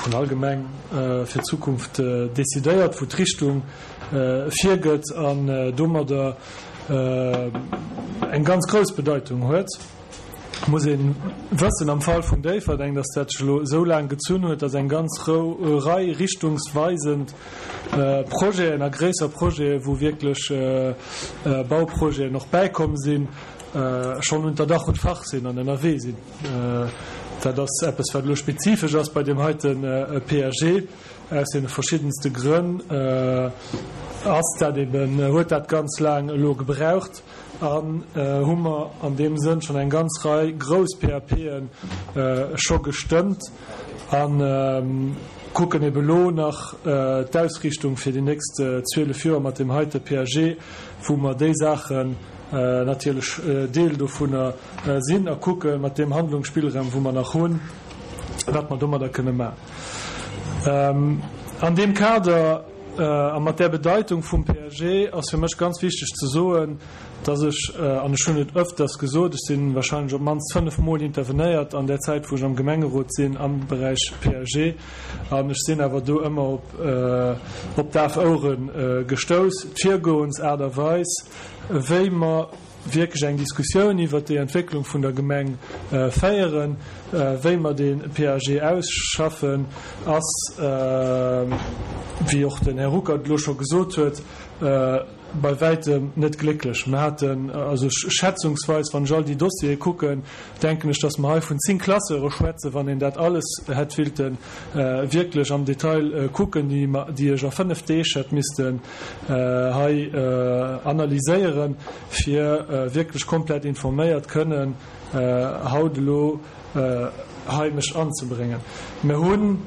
Speaker 7: vun all Gemeng fir d'Zukunft decidéiert, wou d'Richtung virgëtt an domadder eng ganz grouss Bedeitung huet. Muss ee wëssen am Fall vun Déifferdeng, dass dat sech elo esou laang gezunn huet, dass eng ganz Rei richtungsweisend Projeten a gréisser Projeten, wou wierklech Bauprojeten och bäikomm sinn, schonn unter Dach und Fach sinn an ënnerwee sinn. Dat ass eppes, wat elo spezifesch ass bei deem heite P A G. Aus deene verschiddenste Grënn ass dat eben, huet dat ganz laang elo gebraucht an hu mer an deem Sënn schonn eng ganz Rei grouss P A P'en scho gestëmmt a kucken ebe lo nach d'Ausriichtung fir déi nächst zwielef Joer mat deem heite P A G, wou mer déi Saachen natierlech Deel dovunner sinn a kucke mat deem Handlungsspillraum, wou mer nach hunn, wat mer domadder kënne maachen. An deem Kader a mat där Bedeitung vum P A G ass fir mech ganz wichteg ze soen, dass ech, an ech hunn et öfters gesot, ech si wahrscheinlech op d'mannst fënnef Mol intervenéiert an där Zäit, wou ech am Gemengerot sinn am Beräich P A G, an ech sinn awer do ëmmer op op daf Ouere gestouss, d'Virgoensaart a Weis, wéi mer wierklech eng Diskussioun iwwert déi Entwécklung vun der Gemeng féieren, wéi mer dee P A G ausschaffen, ass, wéi och den Här Ruckert elo scho gesot huet, bei wäitem net glécklech. Mir haten, also schätzungsweis, wann ech all déi Dossiere kucken, denken ech, dass mer hei vun zéng Classeure schwätzen, wann een dat alles hätt willte wierklech am Detail kucken, déi mer, déi ech a fënnef Deeg hätt missten hei analyséieren, fir wierklech komplett informéiert kënnen haut elo hei mech anzebréngen. Mir hunn,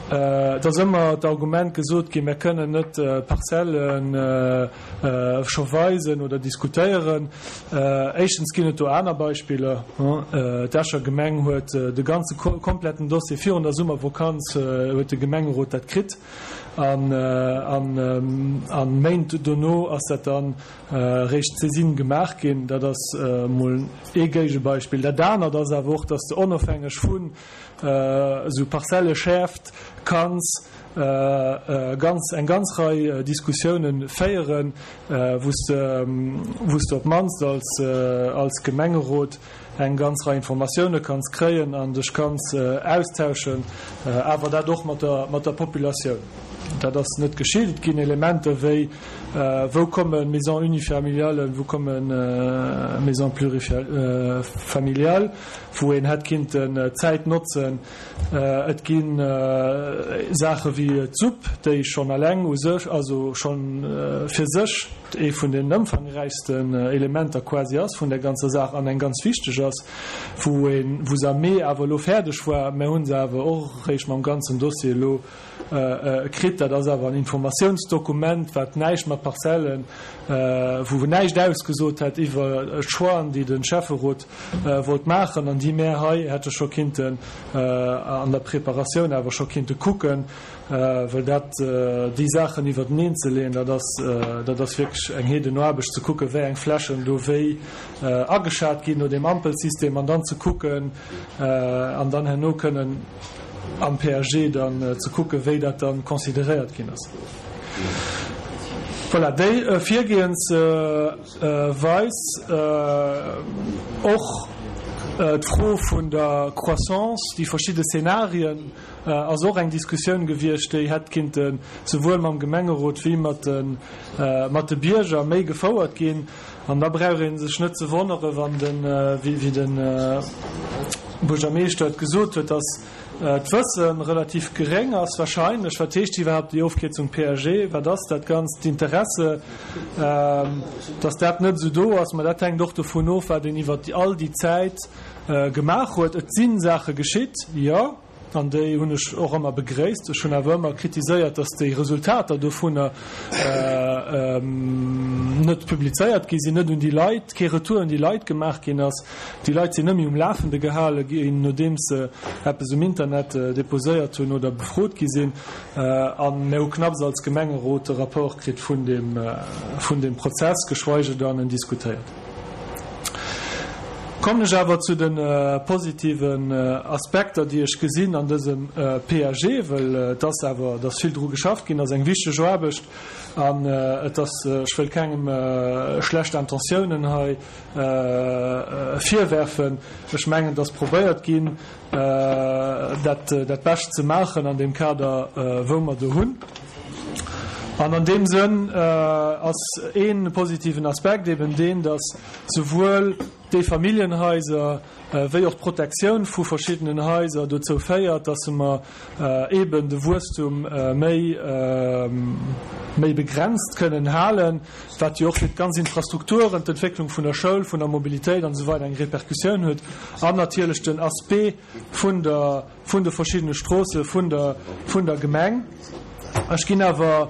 Speaker 7: et ass ëmmer d'Argument gesot ginn, mir kënnen net Parzellen scho weisen oder diskutéieren. Éischtens ginn et do aner Beispiller. D'Escher Gemeng huet de ganze kompletten Dossier virun der Summervokanz huet de Gemengerot dat kritt an Méint dono ass dat dann réischt d'Saisine gemaach ginn. Dat ass emol ee Géigebeispill. Dat anert ass awer och, dass de onofhängeg vun esou Parzelleschäerft kanns ganz eng ganz Rei Diskussiounen féieren, wou s de wou s de op d'mannst als als Gemengerot eng ganz Rei Informatioune kanns kréien an dech kanns austauschen, awer dat och mat der mat der Populatioun. Dat ass net geschitt. Et ginn Elementer wéi, wou komme Maisons unifamiliales, wou komme Maisons plurifamiliales, wou een hätt kinnten d'Zäit notzen. Et gi Saache wéi d'Supp, déi schonn eleng u sech, also schonn fir sech ee vun den ëmfangräichsten Elementer quasi ass vun där ganzer Saach an eng ganz wichteg ass, wou een, wou se am Mee awer elo fäerdeg war. Mir hu se awer och eréischt mam ganzen Dossier elo kritt. Dat ass awer en Informatiounsdokument, wat näischt mat Parzellen, wou näischt ausgesot hätt iwwer d'Choixen, déi de Schäfferot wollt maachen an déi mär hei hätte scho kinnten an der Preparatioun awer scho kinnte kucken, well dat, déi Saachen iwwerteneen ze leeën, dat ass, dat ass wierklech eng Heedenaarbecht, ze kucken, wéi eng Flächen do wéi ageschat ginn no deem Ampelsystem an dann ze kucken an dann herno kënnen am P A G dann ze kucken, wéi dat dann consideréiert ginn ass. Voilà, déi Virgehensweis, och d'Fro vun der Croissance, déi verschidde Szenarien, ass och eng Diskussioun gewiescht, déi hätt kinnte souwuel mam Gemengerot wéi mat de mat de Bierger méi gefouert ginn. An da brauch ee sech net ze wonnere wann den, wéi de Buergermeeschter et gesot huet, dass d'Wësse relativ geréng ass wahrscheinlech. Wat heescht iwwerhaapt déi Ofkierzung P A G? Wat ass dat Ganzt? D'Interesse, dass dat net esou do ass, ma dat hänkt och dovun of, wat een iwwer all déi Zäit gemaach huet. Et si Saache geschitt, jo, an déi hunn ech och ëmmer begréisst. Ech hunn awer ëmmer kritiséiert, dass déi Resultater dovunner net publizéiert gi sinn, net un déi Leit, kee Retour un déi Leit gemaach ginn ass. Déi Leit sinn net méi um Lafende gehale ginn, nodeems se eppes um Internet deposéiert hunn oder befrot gi sinn. A mir hu knapps als Gemengerot de Rapport kritt vun deem, vun deem Prozess, geschweige dann en diskutéiert. Kommen ech awer zu de positiven Aspekter, déi ech gesinn an dësem P A G, well et ass awer, et ass vill dru geschafft ginn, ass eng wichteg Aarbecht an et ass, ech wëll kengem schlecht Intentiounen hei virwerfen. Ech mengen, et ass probéiert ginn, dat dat Bescht ze maachen an deem Kader, wou mer do hunn. An an deem Sënn ass ee positiven Aspekt eben deen, dass souwuel déi Familljenhaiser wéi och d'Protektioun vu verschiddenen Haiser dozou féiert, dass mer eben de Wuesstum méi méi begrenzt kënnen halen, wat jo och fir d'ganz Infrastrukturen, d'Entwécklung vun der Schoul, vun der Mobilitéit an esou weider eng Repercussioun huet, an natierlech den Aspect vun der vun de verschiddene Stroosse vun der vun der Gemeng. Ech ginn awer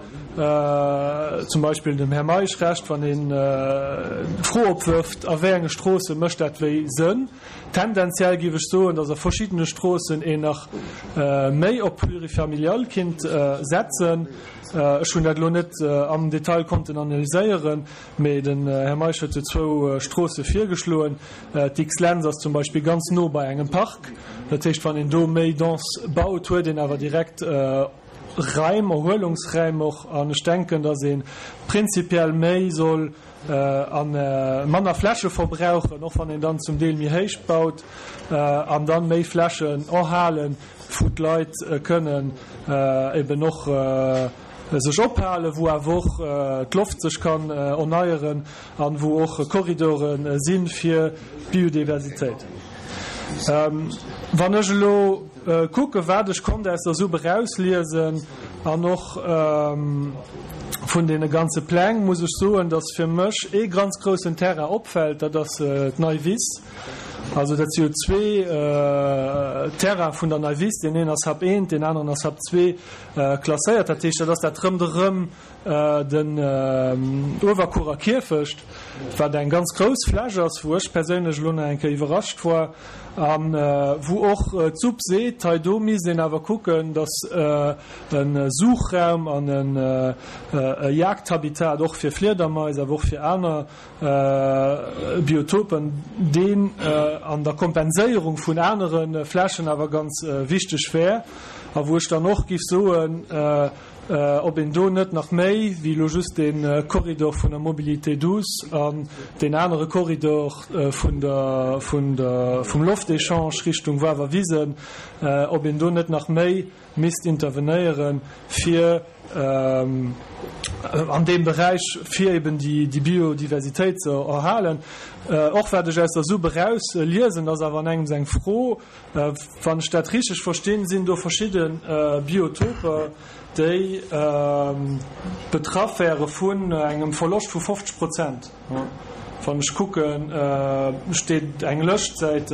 Speaker 7: zum Beispill dem Här Meisch Recht, wann en d'Fro opwërft, a wéi enge Stroosse mécht dat wéi Sënn. Tendenziell géif ech soen, datt a verschiddene Stroossen een nach méi op Plurifamilial kinnt setzen. Ech hunn dat elo net am Detail konnten analyséieren, mee den Här Meisch huet jo zwou Stroosse virgeschloen. D'X-Lentz ass zum Beispill ganz no bei engem Park. Dat heescht, wann een do méi dense baut, huet een awer direkt Raim, Erhuelungsräim och. An ech denken, datt ee prinzipiell méi soll a manner Fläche verbrauchen, och wann een dann zum Deel méi héich baut, an dann méi Flächen erhalen, wou d'Leit kënnen eben och sech ophalen, wou awer och d'Loft sech kann erneieren an wou och Korridore si fir d'Biodiversitéit. Wann ech elo kucken, wat ech konnt aus der SUP erausliesen an och vun deene ganze Pläng, muss ech soen, dass fir mech ee ganz groussen Terrain opfält, dat ass d'Nei Wiss. Also dat si jo zwee Terraine vun der Nei Wiss, deen een ass Hub eent, deen aneren ass Hub zwee klasséiert. Dat heescht, dat ass dat ronderëm den Uewerkuerer Kierfecht, wat eng ganz grouss Fläch ass, wou ech perséinlech elo nach eng Kéier iwwerrascht war a wou och d'SUP seet, hei do misst een awer kucken, datt e Suchraum an e Jagdhabitat och fir Fliedermais, awer och fir aner Biotopen, deen an der Kompenséierung vun anere Flächen awer ganz wichteg wär a wou ech dann och giff soen, ob een do net nach méi wéi elo just dee Korridor vun der Mobilité douce an deen anere Korridor vun der, vun der, vum Loftéchange Richtung Wawerwisen, ob een do net nach méi misst intervenéieren, fir an deem Beräich, fir eben déi Biodiversitéit ze erhalen. Och wat ech aus der SUP eraus liesen, ass awer an engems eng Fro, wann ech dat richteg verstinn, sinn do verschidde Biotoper, déi betraff wäre vun engem Verloscht vu fofzeg Prozent. Wann ech kucken, steet eng Lëscht, Säit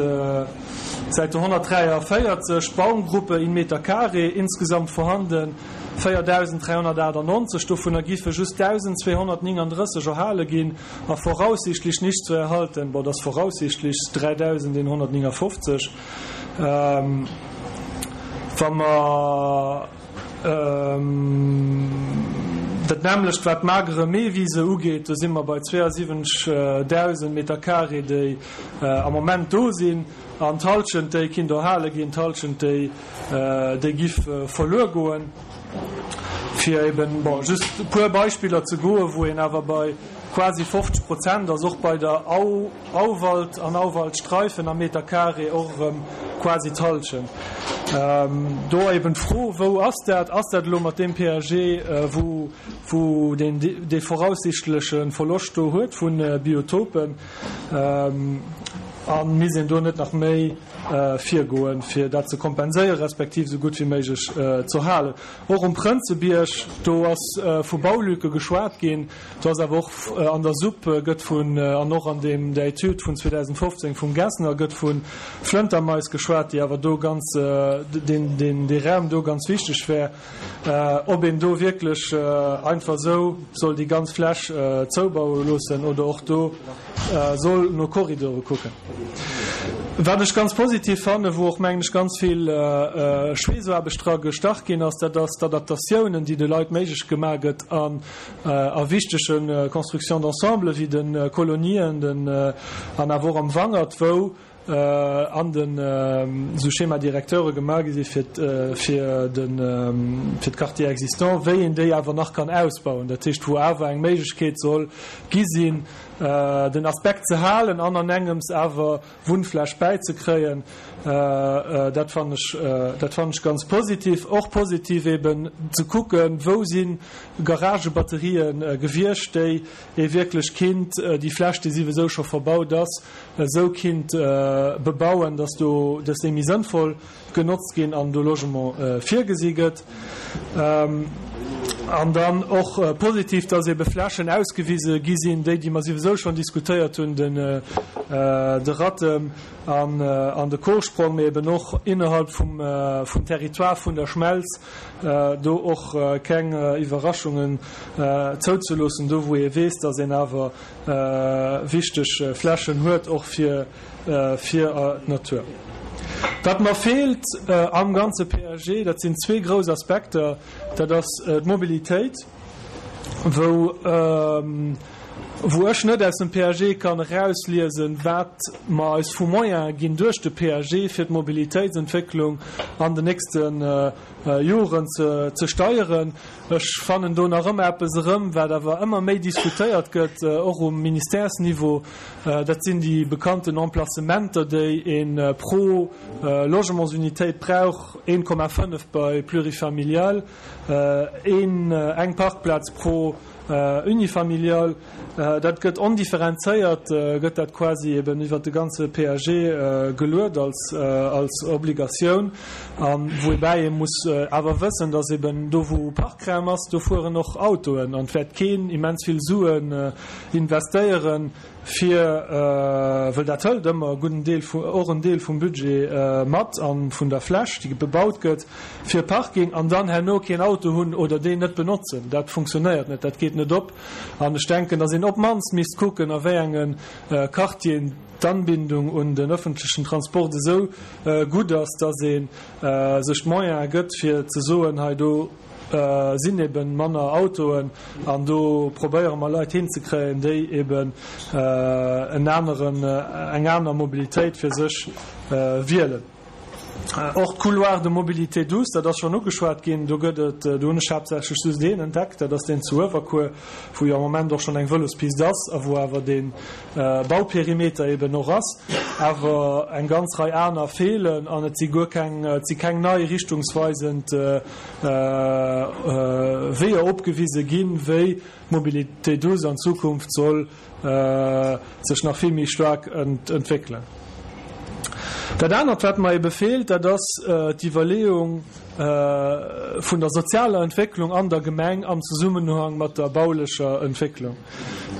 Speaker 7: Säite honnertdräiavéierzeg, Baumgruppe in Meter carré, insgesamt vorhanden véierdausend dräihonnertaachtannonzeg, dovunner giffe just dausendzweehonnertnéngandrësseg erhale ginn a voraussichtlich nicht zu erhalten, bon, dat ass voraussichtlich, dräidausendeenhonnertnéngafofzeg. Wa mer dat nämmlecht wat d'magere Meewiese ugeet, do si mer bei zweeasiwwenzegdausend Meter carré, déi am Moment do sinn, an d'Hallschent, déi kinnt erhale ginn, d'Hallschent, déi déi giff verluer goen. Fir eben, bon, just e puer Beispiller ze goen, wou een awer bei quasi fofzeg Prozent ass, och bei der Au, Auwald an Auwaldstreifen am Meter carré och erëm quasi d'Hallschent. Do eben d'Fro, Wou ass dat? Ass dat elo mat deem P A G, wou, wou deen dee voraussichtleche Verloscht do huet vu Biotopen? A misst een do net nach méi virgoen, fir dat ze kompenséieren, respektiv esou gutt wéi méiglech ze erhalen? Och um Prënzebierg, do ass vu Baulücke geschwat ginn, do ass awer och an der SUP gëtt vun, an och an deem, der Etüd vun zweedausendfofzéng vum Gessner gëtt vu Flëntermais geschwat, déi awer do ganz, deen, deen, dee Raum do ganz wichteg wär, ob een do wierklech einfach esou soll déi ganz Fläch zoubaue loossen oder och do soll no Korridore kucken. Wat ech ganz positiv fannen, wou och, mengen ech, ganz vill Schweessoaarbecht dra gestach ginn ass, dat ass d'Adaptatiounen, déi de Leit méiglech gemaach gëtt an a wichtege Constructions d'ensemble wéi de Kolonien den an awer och am Wangert, wou an den esou Schéma-directeure gemaach gi si fir fir de fir d'Quartiers existants, wéi een déi awer nach kann ausbauen. Dat heescht, wou awer eng Méiglechkeet soll gi sinn, den Aspekt ze halen an an engems awer Wunnfläch bäizekréien, dat fannen ech, dat fannen ech ganz positiv. Och positiv eben ze kucken, wou si Garagebatterië gewiescht, déi ee wierklech kinnt, déi Fläch, déi siwesou scho verbaut ass, esou kinnt bebauen, dass do, dass déi méi sënnvoll genotzt ginn an do Logement virgesi gëtt. An dann och positiv, dass ebe Flächen ausgewise gi sinn, déi, déi mer siwesou schonn diskutéiert hunn, den de Rattem an an de Korsprong, mee eben och innerhalb vum vum Territoire vun der Schmelz, do och keng Iwwerraschungen zouzeloossen, do wou ee weess, dass een awer wichteg Flächen huet, och fir fir d'Natur. Wat mer feelt am ganze P A G, dat sinn zwee grouss Aspekter, dat ass d'Mobilitéit, wou Wou ech net aus dem P A G kann erausliesen, wat mer eis vu Moyene ginn duerch de P A G fir d'Mobilitéitsentwécklung an den nächsten Joren ze, ze steieren. Ech fannen do nach ëmmer eppes erëm, wat awer ëmmer méi diskutéiert gëtt, och um Ministèresniveau. Dat sinn déi bekannten Emplacementer, déi een pro Logementsunitéit brauch, een Komma fënnef bei plurifamilial, een, eng Parkplaz pro unifamilial. Dat gëtt ondifferenzéiert, gëtt dat quasi eben iwwer de ganze P A G geluet als, als Obligatioun. An woubäi ee muss awer wëssen, dass eben do wou Parkraum ass, do fueren och Autoen an et wäert keen immens vill Suen investéieren, fir, well dat hëlt ëmmer e gudden Deel vu, och en Deel vum Budget mat an vun der Fläch, déi bebaut gëtt, fir Parking an dann herno keen Auto hunn oder deen net benotzen. Dat funktionéiert net, dat geet net op. An ech denken, dass een op d'mannst misst kucken, a wéi engen Quartieren d'Anbindung un den öffentlichen Transport esou gutt ass, dass ee sech d'Moyene gëtt, fir ze soen, hei do sinn eben manner Autoen an do probéiere mer Leit hinzekréien, déi eben en aneren, eng aner Mobilitéit fir sech wielen. Och d'Couloir de mobilité douce, dat ass schonn ugeschwat ginn, do gëtt et, do hunn ech haaptsächlech just deen entdeckt, dat ass deen zu Uewerkuer, wou jo am Moment och schonn eng Vëlospist ass a wou awer dee Bauperimeter eben och ass, awer eng ganz Rei aner feelen an et si guer keng, et si keng nei richtungsweisend Weeër opgewise ginn, wéi d'Mobilité douce an Zukunft soll sech nach vill méi staark entwéckelen. Dat anert, wat mer ebe feelt, dat ass d'Iwwerleeung vun der sozialer Entwécklung an der Gemeng am Zusammenhang mat der baulecher Entwécklung.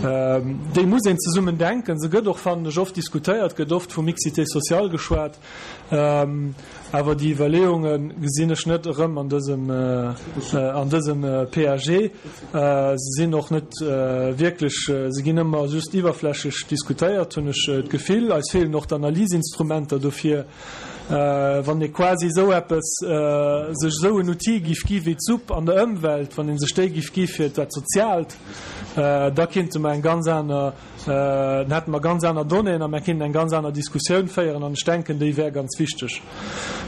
Speaker 7: Déi muss een zesummen denken. Se gëtt och, fannen ech, oft diskutéiert, gëtt oft vu Mixité sociale geschwat, awer déi Iwwerleeunge gesinn ech net erëm an dësem, an dësem P A G. Se sinn och net wierklech, se ginn ëmmer just iwwerflächeg diskutéiert, hunn ech d'Gefill. Eis feelen och d'Analysinstrumenter dofir. Wann ee quasi esou eppes, sech esou en Outil giff gi wéi d'Supp an der Ëmwelt, wann een sech déi giff gi fir dat Soziaalt, da kinnte mer eng ganz aner, dann hätte mer ganz aner Donnéeën a mer kinnten eng ganz aner Diskussioun féieren an ech denken, déi wär ganz wichteg.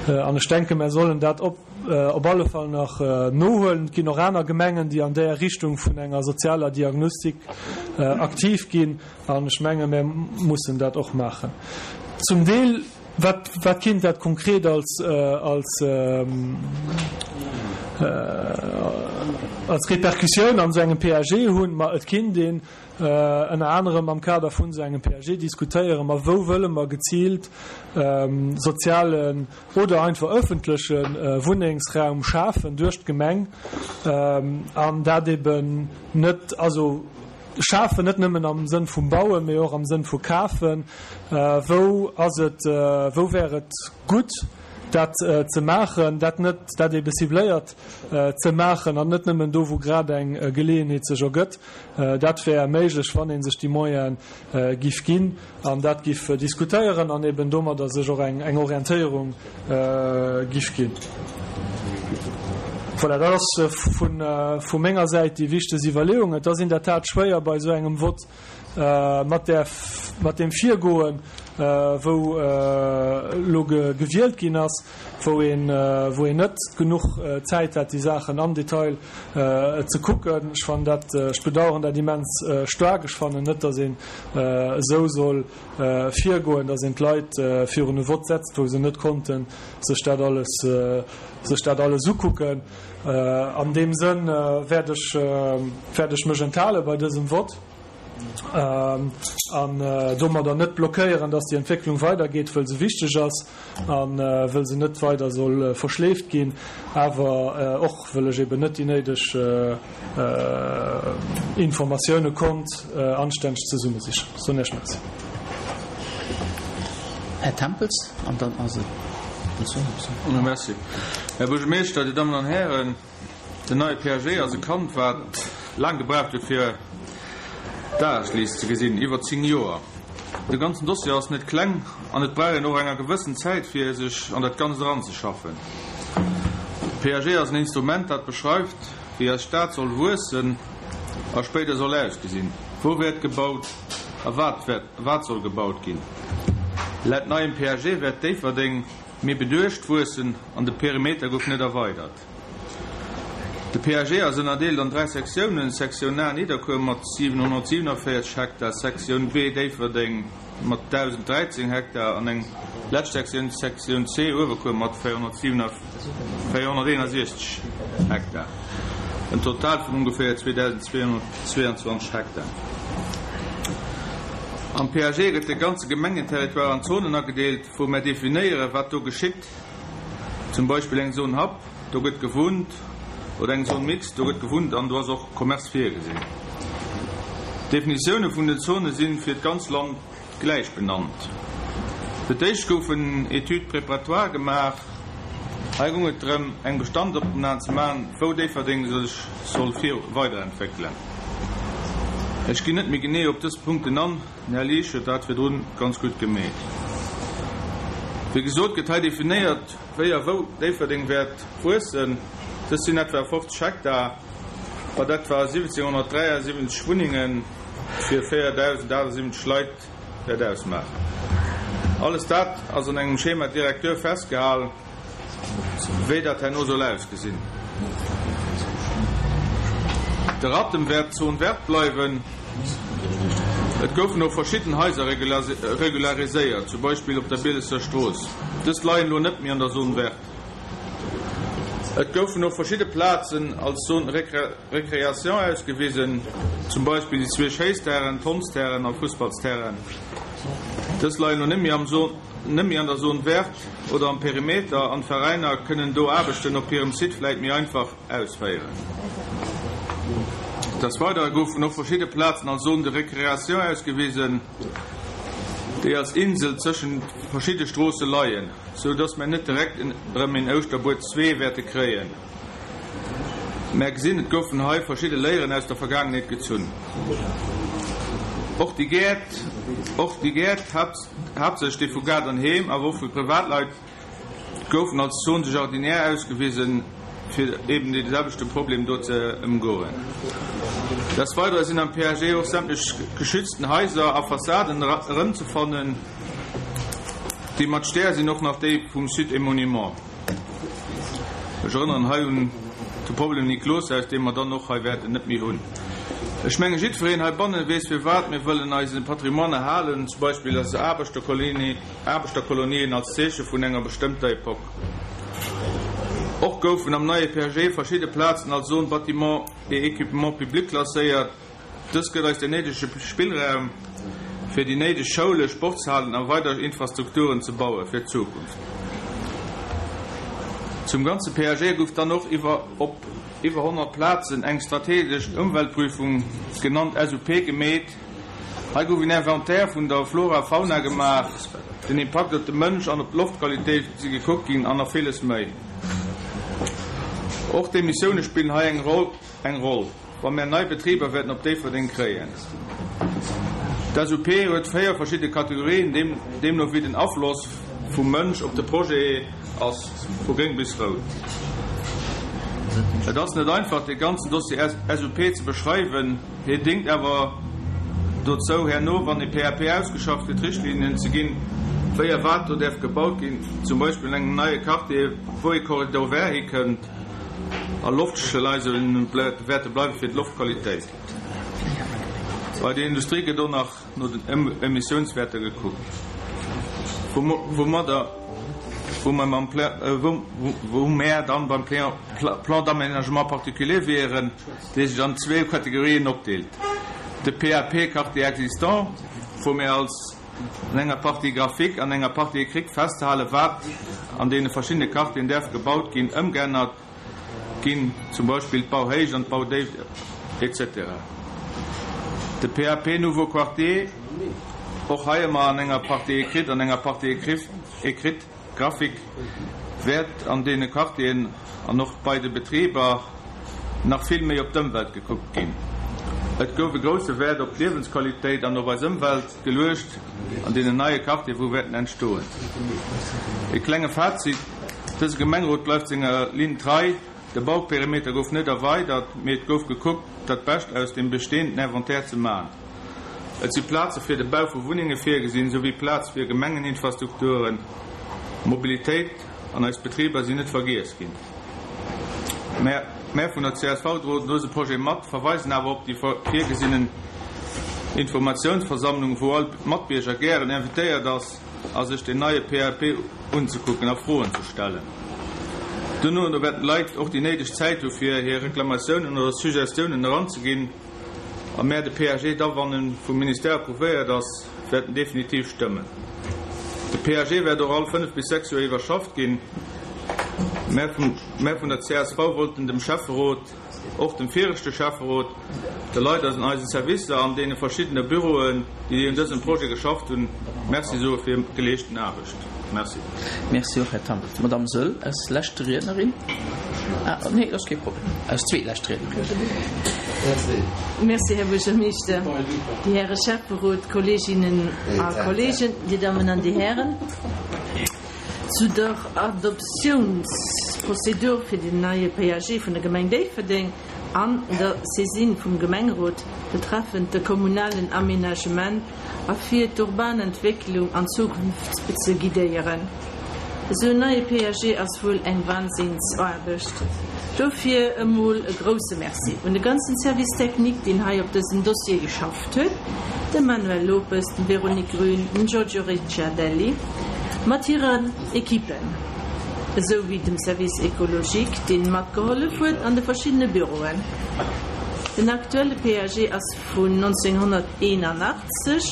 Speaker 7: An ech denken, mer sollen dat op, op alle Fall nach nohuelen. Et ginn och aner Gemengen, déi an där Richtung vun enger sozialer Diagnostik aktiv ginn an ech menge, mer mussen dat och maachen. Zum Deel, wat, wat kinnt dat konkret als, als, als Repercussioun an so engem P A G hunn? Ma et kinnt een ënner anerem am Kader vun so engem P A G diskutéieren, ma wou wëlle mer gezielt sozialen oder einfach öffentlechen Wunnengsraum schafen duerch d'Gemeng, an dat eben net, also schafen net nëmmen am Sënn vum Bauen, mee och am Sënn vu Kafen. Wou ass et, wou wär et gutt, dat ze maachen, dat net, dat ebe cibléiert ze maachen an net nëmmen do, wou grad eng Geleeënheet sech ergëtt. Dat wär méiglech, wann een sech déi Moyene giff ginn an dat giff diskutéieren an eben domadder sech och eng, eng Orientéierung giff ginn. Voilà, dat ass vun, vu menger Säit déi wichtegst Iwwerleeung. Et ass in der Tat schwéier bei esou engem Vott mat der, mat dem Virgoen, wou lo gewielt ginn ass, wou een, wou een net genuch Zäit hat, déi Saachen am Detail ze kucken. Ech fannen dat, ech bedauern dat immens staark. Ech fannen net, dass een esou soll virgoen, dass een d'Leit virun e Vott setzt, wou se net konnten sech dat alles, sech dat alles ukucken. An dem Sënn werd ech, werd ech mech enthalen bei dësem Vott. An domadder net blockéieren, dass déi Entwécklung weitergeet, well se wichteg ass an well se net weider soll verschleeft ginn, awer och well ech eben net déi néideg Informatioune konnt anstänneg zesummesichen. So nächst Merci.
Speaker 1: Herr Tempels, an dann ass et
Speaker 8: Merci. Herr Buergermeeschter, Dir Dammen an Hären, den neie P A G ass e Kand, wat lang gebraucht huet fir Dagesliicht ze gesinn, iwwer zéng Joer. De ganzen Dossier ass net kleng an et brauch een och enger gewëssen Zäit fir sech an dat Ganzt eranzeschaffen. De P A G ass en Instrument, dat beschreift, wéi eis Stad soll wuessen a spéider soll ausgesinn. Wou wäert gebaut a wat wäert, wat soll gebaut ginn? Laut neiem P A G wäert Déifferdeng méi beduecht wuessen an de Perimeter gouf net erweidert. De P A G ass ënnerdeelt an dräi Sektiounen, Sektioun A Nidderkuer mat siwenhonnertsiewenavéierzeg Hektar, Sektioun B Déifferdeng mat dausenddräizéng Hektar an eng lescht Sektioun, Sektioun C Uewerkuer mat véierhonnerteenasiechzeg Hektar. En Total vun ongeféier zweedausendzweehonnertzweeanzwanzeg Hektar. Am P A G gëtt de ganze Gemengenterritoire an Zonen agedeelt, wou mer definéieren, wat do geschitt. Zum Beispill eng Zone Hub, do gëtt gewunnt, oder eng Zone mixte, do gëtt gewunnt an do ass och Commerce virgesinn. D'Definitioune vun den Zone si fir d'ganz Land gläich benannt. Fir d'éischt goufen Études préparatoires gemaach. Hei goung et drëm, eng Bestandsopnam ze maachen, wou Déifferdeng sech soll weiderentwéckelen. Ech ginn net méi genee op dës Punkten an, den Här Liesch huet dat virdrun ganz gutt gemeet. Wéi gesot gëtt hei definéiert, wéi a wou Déifferdeng wäert wuessen. Dës sinn etwa fofzeg Hektar, wat etwa siwwenzénghonnertdräiasiwwenzeg Wunnenge fir véierdausendaachtasiwwenzeg Leit wäert ausmaachen. Alles dat ass an engem Schéma directeur festgehalen, wéi dat herno soll ausgesinn. De Rattem wäert Zone verte bleiwen. Et goufen och verschidden Haiser regulariséiert, zum Beispill op der Bielesser Strooss. Dës leien elo net méi an der Zone verte. Et goufen och verschidde Plazen als Zone récréation ausgewisen, zum Beispill déi zwee Schéissterrainen, d'Hondsterrainen a Fussballsterrainen. Dës leien elo net méi am net méi an der Zone verte oder am Perimeter an d'Veräiner kënnen do Aarbechten op hirem Site vläicht méi einfach ausféieren. Des Weidere goufen och verschidde Plazen als Zone de récréation ausgewisen, déi als Insel tëschent verschidde Stroosse leien, sou dass mer net direkt erëm en Ouschterbuer zwee wäerte kréien. Mer gesinn, et goufen hei verschidde Léieren aus der Vergaangenheet gezunn. Och déi Gäert, och déi Gäert, haaptsächlech déi vu Gaart an Heem, awer och vu Privatleit, goufen als Zone de jardinière ausgewisen, fir eben dee selwechte Problem do ze ëmgoen. Des Weidere sinn am P A G och sämtlech geschützten Haiser a Fassaden erëmzefannen. Déi mat Stär sinn och nach déi vum Sites et Monuments. Ech erënneren hei un de Problem Nikloshaus, dee mer dann och hei wäerten net méi hunn. Ech menge jiddwereen heibanne weess firwat mir wëllen eise Patrimoine erhalen, zum Beispill eis Aarbechterkolonien als Zeeche vun enger bestëmmter Epoch. Och goufen am neie P A G verschidde Plazen als Zone bâtiments et équipements publics klasséiert. Dës gëtt eis den néidege Spillraum fir déi néideg Schoule, Sportshalen a weider Infrastrukturen ze baue fir d'Zukunft. Zum ganze P A G gouf dann och iwwer op iwwer honnert Plazen eng strategesch Ëmweltprüfung, genannt S U P, gemeet. Hei gouf en Inventaire vun der Flora Fauna gemaach, den Impakt op de Mënsch an op d'Loftqualitéit si gekuckt ginn an nach villes méi. Och d'Emissioune spillen hei eng Roll, eng Roll, wa mer nei Betriber wäerten op Déifferdeng kréien. D'S U P huet véier verschidde Kategorien, deemno wéi den Afloss vum Mënsch op de Projet ass, vu gréng bis rout. Et ass net einfach, de ganzen Dossier S U P ze beschreiwen, hie déngt awer dozou, herno, wann e P A P ausgeschafft gëtt, Richtlinnen ze ginn, wéi a wat do däerf gebaut ginn, zum Beispill an engem neie Quartier, wou e Corridor vert hikënnt a Loftschleise wäerte bleiwe fir d'Loftqualitéit. Bei der Industrie gëtt och nach no den Emissiounswäerter gekuckt. Woumadder wou mer mam wou mer dann beim Plan d'aménagement particulier wieren, dee sech an zwee Kategorien opdeelt. De P A P Quartier existant, wou mir als an enger Partie graphique an enger Partie écrite festhale wat an deene verschiddene Quartieren däerf gebaut ginn, ëmgeännert ginn, zum Beispill d'Bauhéicht an d'Baudéift et cetera. De P A P Nouveau Quartier, och hei ëmmer an enger Partie écrite an enger Partie écrite graphique, wäert an deene Quartieren an och bei de Betriber nach vill méi op d'Ëmwelt gekuckt ginn. Et gouf e grousse Wäert op d'Liewensqualitéit an op eis Ëmwelt geluecht an deenen neie Quartieren, wou wäerten entstoen. E klenge Fazit, dëse Gemengerot bleift senger Linn trei, de Bauperimeter gouf net erweidert, mee et gouf gekuckt, dat Bescht aus dem bestehenden Inventaire ze maachen. Et si Plaze fir de Bau vu Wunnenge virgesinn, souwéi Plaz fir Gemengeninfrastrukturen. Mobilitéit an eis Betriber sinn net vergiess ginn. Mär, mär vun der csv droen dëse Projet mat, verweisen awer op déi virgesinnen Informatiounsversammlung, wou all Matbierger gären invitéiert ass, a sech den neie PAP unzekucken a Froen ze stellen. Duerno wäerten d'Leit och déi néideg Zäit hu fir hir Reklamatiounen oder Suggestiounen eranzeginn a mär de PAG da wann e vum Ministère approuvéiert ass, wäerten definitiv stëmmen. De PAG wäert och all fënnef bis sechs Joer iwwerschafft ginn. Mär vum, mär vun der csv wollten dem Schäfferot, och dem viregte Schäfferot, de Leit aus eisen Servicer an deene verschiddene Büroen, déi un dësem Projet geschafft hunn, Merci soe fir hir geleeschten Aarbecht. Merci.
Speaker 1: Merci och, Här Thamm. D'Madame Söll als lescht Riednerin. Ah, nee, ass kee Problem. Als zweetlescht Riednerin.
Speaker 9: Merci, Här Buergermeeschter, déi Häre Schäfferot, Kolleeginnen a Kolleegen, Dir Dammen an Dir Hären. Zu der Adoptiounsprozedur fir den neie PAG vun der Gemeng Déifferdeng an der Saisine vum Gemengerot betreffend de kommunalen Aménagement a fir d'urban Entwécklung an Zukunft ze guidéieren. Esou en neie PAG ass wuel eng Wahnsinnsaarbecht. Dofir emol e grousse Merci un de ganzen Service technique, deen hei op dësem Dossier geschafft huet, dem Manuel Lopes, dem Véronique Grün, dem Giorgio Ricciardelli mat hiren Equippen, esou wéi dem Service écologique, deen matgehollef huet an de verschiddene Büroen. Den aktuelle PAG ass vun nonzénghonnerteenanachtzeg,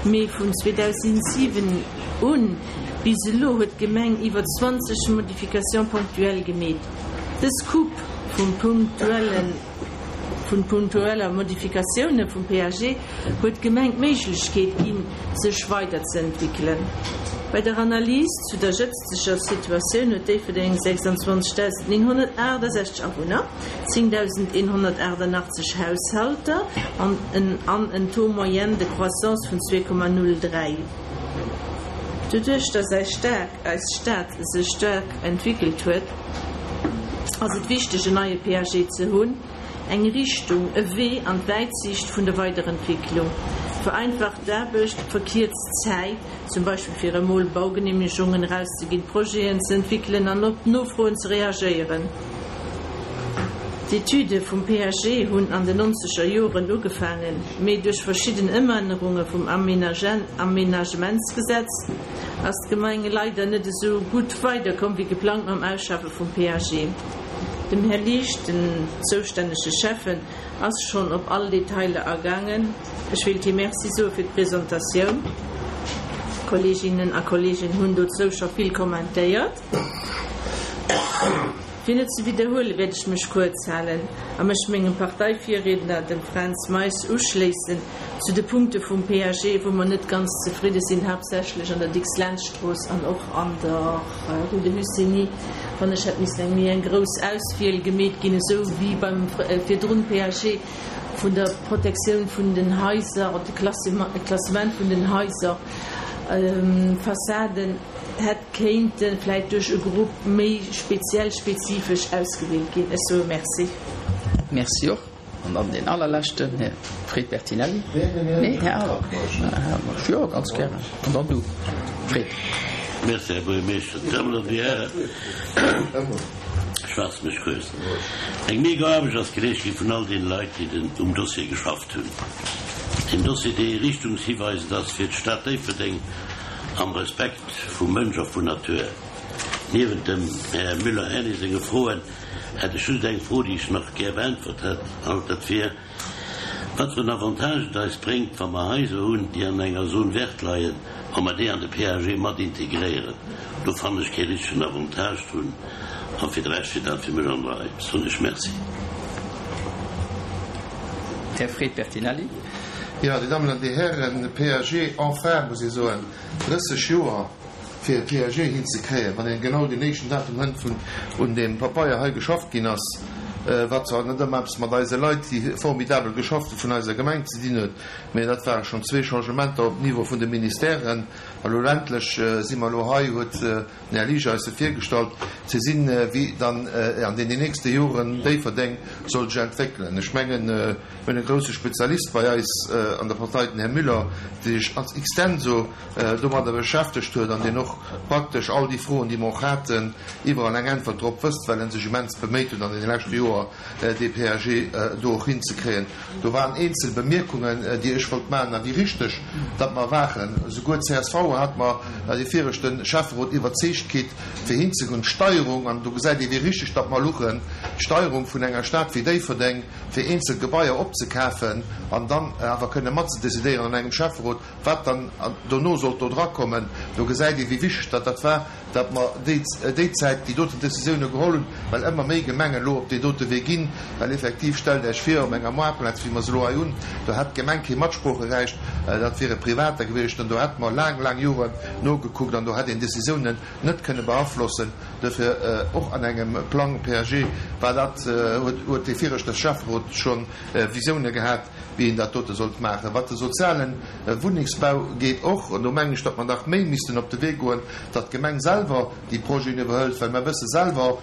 Speaker 9: mee vun zweedausentsiwen un bis elo huet d'Gemeng iwwer zwanzeg Modifications ponctuelles gemeet. Dës Coupe vum punktuellen vun punktueller Modifikatioune vum PAG huet d'Gemeng d'Méiglechkeet ginn, sech weiderzeentwéckelen. Bei der Analys zu der jëtzteger Situatioun huet Déifferdeng sechsandzwanzegdausendnénghonnertaachtasechzeg Awunner, zéngdausendeenhonnertaachtannachtzeg Haushalter an en an en Taux moyen de croissance vun zwee Komma null dräi. Doduerch, dass eis Stad eis Stad sech staark entwéckelt huet, ass et wichteg, en neie PAG ze hunn, eng Richtung, e Wee an d'Wäitsiicht vun der Weiderentwécklung, vereinfacht d'Aarbecht, verkierzt d'Zäit, zum Beispill fir emol Baugenehmegungen erauszeginn, Projeten ze entwéckelen an op Nofroen ze reagéieren. D'Etüde vum PAG hunn an den nonzeger Joren ugefaangen, mee duerch verschidden Ëmännerunge vum Aménagementsgesetz ass d'Gemeng leider net esou gutt weiderkomm wéi geplangt mam Ausschaffe vum PAG. Dem Här Liesch, den zoustännege Schäffen, ass schonn op all Detailer agaangen. Ech wéilt him Merci soe fir d'Presentatioun. D'Kolleeginnen a Kolleegen hunn dozou scho vill kommentéiert. Fir net ze widderhuelen, wäert ech mech kuerz halen a mech mengem Parteivirriedner, dem Fränz Meis, uschléissen zu de Punkte vum PAG, wou mer net ganz zefridde sinn, haaptsächlech an der Dicks-Lentz-Strooss an och an der Rue de Hussigny. Fannen ech, hätt missen eng méi eng grouss Auswiel gemeet ginn, esou wéi beim virdrun PAG vun der Protektioun vun den Haiser oder de Klassement vun den Haiser, Fassaden. Hätt kéinte vläit duerch e Grupp méi speziell, spezifesch ausgewielt ginn. Ech soe Merci.
Speaker 1: Merci och. An dann deen allerleschten, Här Fred Bertinelli. Nee, Här Awer. Jo, ganz gären. An dann du, Fred.
Speaker 10: Merci, Här Buergermeeschter. Dir Dammen an Dir Hären, ech faasse mech kuerz. Eng mega Aarbecht ass geleescht gi vun all deene Leit, déi den um Dossier geschafft hunn. Een Dossier, dee richtungshiweisend ass fir d'Stad Déifferdeng am Respekt vum Mënsch a vun Natur. Niewent dem Här Müller-Erny senge Froen hätt ech just eng Fro, déi ech nach gär beäntwert hätt, an dat wier, wat fir en Avantage et eis bréngt, wa mer Haiser hunn, déi an enger Zone verte leien, wa mer déi an de PAG mat integréieren. Do fannen ech kee richtegen Avantage drun. A fir de Rescht wier dat fir mech an der Rei. Soen ech Merci.
Speaker 1: Här Fred Bertinelli.
Speaker 11: Jo, Dir Dammen an Dir Hären, de PAG, enfin, muss ee soen, drësseg Joer fir e PAG hinzekréien, wann een genau deen éischten Datum hënt, vun un deem Papeier hei geschafft ginn ass, wat zwar net ëmmer eppes mat eise Leit, déi formidabel geschafft hu vun eiser Gemeng ze dinn huet, mä dat ware schonn zwee Changementer op Niveau vun de Ministèren. A lo endlech si mer elo hei, huet den Här Liesch eis se virgestallt, ze sinn, wéi dann an deenen nächste Joren Déifferdeng soll sech entwéckelen. Ech mengen, mir hunn e grouse Spezialist bei eis an der Partei, den Här Müller, dee sech als extenso domadder beschäftegt huet an deen och praktesch all déi Froen, déi mer och haten, iwwerall eng Äntwert drop wësst, well en sech immens beméit huet an deene leschte Joer, dee PAG do och hinzekréien. Do waren eenzel Bemierkungen, déi ech wollt maachen a wéi richteg datt mer waren. Esouguer csv hat mer dee viregte Schäfferot iwwerzeegt kritt, fir hinzegoen. D'Steierung, an do gesäit ee wéi richteg datt mer luchen, d'Steierung vun enger Stad wéi Déifferdeng, fir eenzel Gebaier opzekafen an dann awer kënne matzedécidéieren an engem Schäfferot, wat dann dono sollt do drakommen, do gesäit ee wéi wichteg datt dat war, datt mer déi déi Zäit déi doten Décisioune geholl hunn, well ëmmer méi Gemengen elo op dee dote Wee ginn, well effektiv, stellt Iech vir, op enger Moartplaz, wéi mer se elo hei hunn, do hätt d'Gemeng kee Matsproocherecht, dat wiere Privater gewiescht an do hätte mer laang, laang Joren nogekuckt an do hätt een Décisiounen net kënne beaflossen. Duerfir och an engem Plang PAG war dat, huet huet dee viregte Schäfferot scho Visioune gehat, wéi een dat dote sollt maachen. Wat de soziale Wunnengsbau geet och, an do mengen ech, datt mer nach méi missten op de Wee goen, datt d'Gemeng selwer déi Projeten iwwerhëlt, well mer wësse selwer,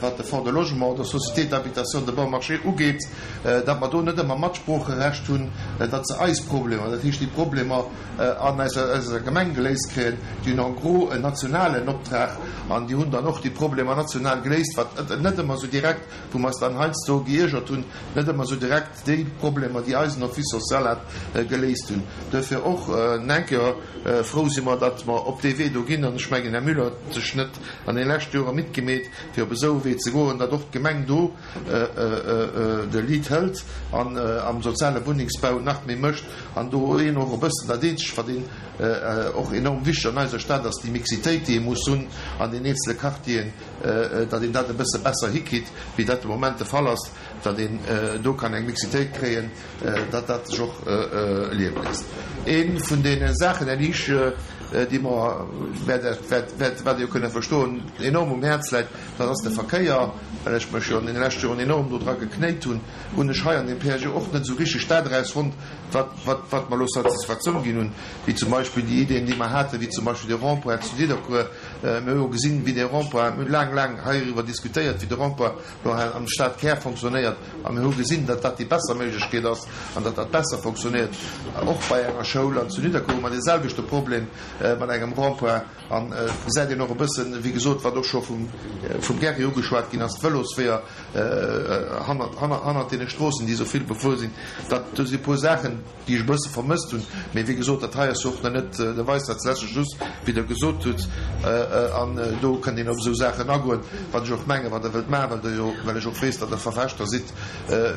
Speaker 11: wat de Fonds de logement oder Société d'habitation de bon marché ugeet, datt mer do net ëmmer Matsproocherecht hunn, datt se eis Problemer, dat heescht déi Problemer an eiser Gemeng geléist kréien. Déi hunn en gros en nationalen Optrag an déi hunn dann och déi Problemer national geléist, wat net ëmmer esou direkt, wou mer eis dann heiansdo geiergert hunn, net ëmmer esou direkt déi Problemer, déi eisen Office social hat, geléist hunn. Duerfir och eng Kéier frou si mer, datt mer op dee Wee do ginn. An ech mengen, Här Müller huet sech net an deene leschte Jore midd gemeet, fir op esou e Wee ze goen, datt och d'Gemeng do de Lead hëlt an am soziale Wunnengsbau nach méi mécht an do een och e bëssen dat Eenzegt, wat een och enorm wichteg an eiser Stad ass, déi Mixitéit, déi ee muss hunn an den eenzele Quartieren, datt een dat e bësse besser hikritt, wéi dat de Moment de Fall ass, datt een do kann eng Mixitéit kréien, datt dat sech och liewe léisst. Ee vun deene Saachen, Här Liesch, déi mer, wäert, wäert, wat Dir jo kënne verstoen, enorm um Häerz läit, dat ass de Verkéier. Well ech mech jo an deene leschte Joren enorm do dra geknéit hunn, hunn ech hei an deem PAG och net esou richteg dat erausfonnt, wat, wat, wat mer elo Satisfaktioun ginn hunn, wéi zum Beispill déi Ideen, déi mer haten, wéi zum Beispill de Rond-point zu Nidderkuer. Mir hu jo gesinn, wéi dee Rond-point, mir hu laang, laang heiriwwer diskutéiert, wéi de Rond-point elo hei am Stadkär fonctionnéiert, a mir hu gesinn, datt dat déi besser Méiglechkeet ass an datt dat besser fonctionnéiert, och bei enger Schoul. An zu Nidderkuer hu mer deeselwechte Problem mat engem Rond-point. An et gesäit een och e bëssen, wéi gesot, wat och scho vum, vum Gerry ugeschwat ginn ass, d'Vëlosweeër hannert, hannert, hannert deene Stroossen, déi esou vill befuer sinn. Dat, do si e puer Saachen, déi ech e bësse vermësst hunn. Mee wéi gesot, dat hei ass jo och nach net de Weisheits leschte Schluss, wéi Der gesot hutt. An do kënnt een op esou Saachen agoen, wat ech och mengen, wat Der wëllt maachen, well Der jo, well ech och weess, datt Der Verfechter sidd,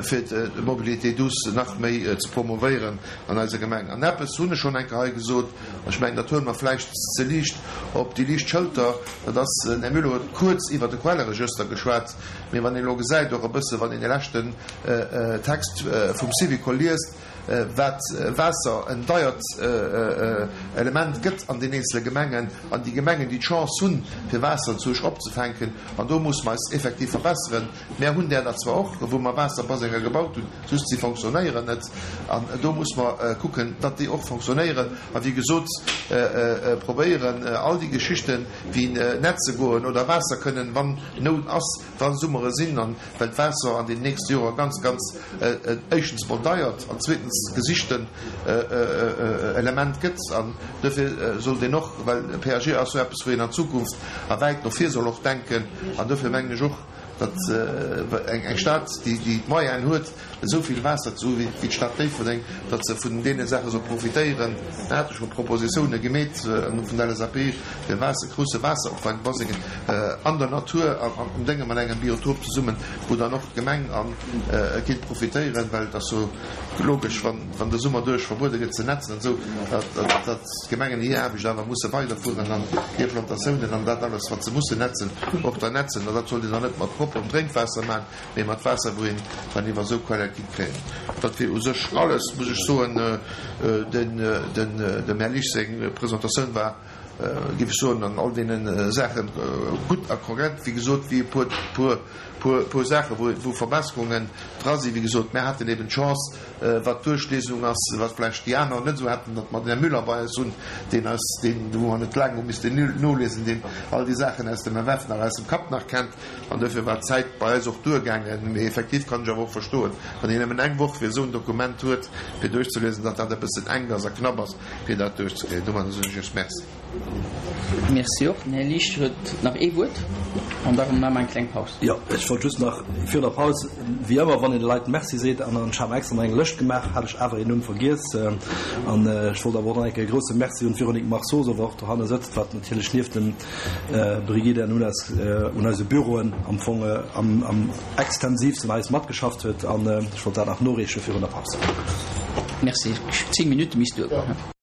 Speaker 11: fir d'Mobilité douce nach méi ze promovéieren an eiser Gemeng. An eppes hunn ech schonn eng Kéier hei gesot, an ech mengen, dat huele mer vläicht ze liicht op déi liicht Schëlter, dat ass, den Här Müller huet kuerz iwwert de Quelleregëster geschwat, mee wann een elo gesäit, och e bësse wann een dee leschten Text vum Syvicol liest, wat Waasser en deiert Element gëtt an den eenzele Gemengen, an déi Gemengen, déi d'Chance hunn, fir Waasser zu Esch opzefänken, an do musse mer eis effektiv verbesseren. Mär hunn där der zwar och, wou mer Waasserbasenger gebaut hunn, just si fonctionnéieren net. An do muss mer kucken, datt déi och fonctionnéieren. A wéi gesot, probéieren all déi Geschichten, wéi netze goen oder Waasser kënnen, wann Nout ass, wa Summere sinn, an well d'Waasser an den nächste Jore ganz, ganz éischtens mol deiert an zweetens gesichten Element gëtt. An dofir sollt een och, well PAG ass jo eppes, wou een an d'Zukunft a wäit no vir soll och denken, an dofir mengen ech och, datt eng Stad, déi d'Moyenen huet, esou vill Waasser ze hu wéi d'Stad Déifferdeng, datt se vun deene Saache soll profitéieren. Da hat ech scho Propositiounen gemeet vun der LSAP, fir Waasser, grousse Waasseropfangbasengen an der Natur, am Dénge mat engem Biotop zesummen, wou dann och d'Gemeng kéint profitéieren, well et ass jo logesch, wann de Summer duerch verbuede gëtt ze netzen an esou, datt d'Gemengen hir Aarbecht awer musse weiderfueren an hir Plantatiounen an dat alles, wat se mussen netzen, och da netzen. An dat sollt een dann net mat propperem Drénkwaasser maachen, mee mat Waasser, wou een dann iwwer esou Quelle kinnt kréien. Dat wier u sech alles, muss ech soen. Den, den, dem Här Liesch seng Presentatioun war, géif ech soen, an all deene Saache gutt a korrekt. Wéi gesot, wéi e puer, puer, puer, puer Saachen, wou, wou Verbesserungen dra sinn. Wéi gesot, mär haten eben d'Chance, wat d'Duerchliesung ass, wat vläicht déi aner net esou haten, datt mer den Här Müller bei eis hunn, deen eis, deen, wou mer net laang hu missten noliesen, deen all déi Saachen aus dem F F nach aus dem Kapp nach kennt. An duerfir war d'Zäit bei eis och duergaangen. Mee effektiv kann ech awer och verstoen, wann een nëmmen eng Woch fir esou en Dokument huet, fir duerchzeliesen, datt dat e bëssen enk ass a knapp ass, fir dat duerchzekréien. Domadder soen ech Iech Merci.
Speaker 1: Merci och. Den Här Liesch huet nach ee Wuert an da maache mer eng kleng Paus.
Speaker 12: Jo, ech wollt just nach virun der Paus, wéi ëmmer, wann een de Leit Merci seet, an ech hat mer extra nach eng Lëscht gemaach, hat ech awer een Numm vergiess. An ech wollt awer och nach eng Kéier e grouse Merci un d'Véronique Marceau soen, wat och dohanne sëtzt, wat natierlech nieft dem Brigitte an un eise Büroen am Fong am extensivsten eis matgeschafft huet. An ech wollt dat nach noreeche virun der Paus.
Speaker 1: Merci. Zéng Minutte misst duergoen.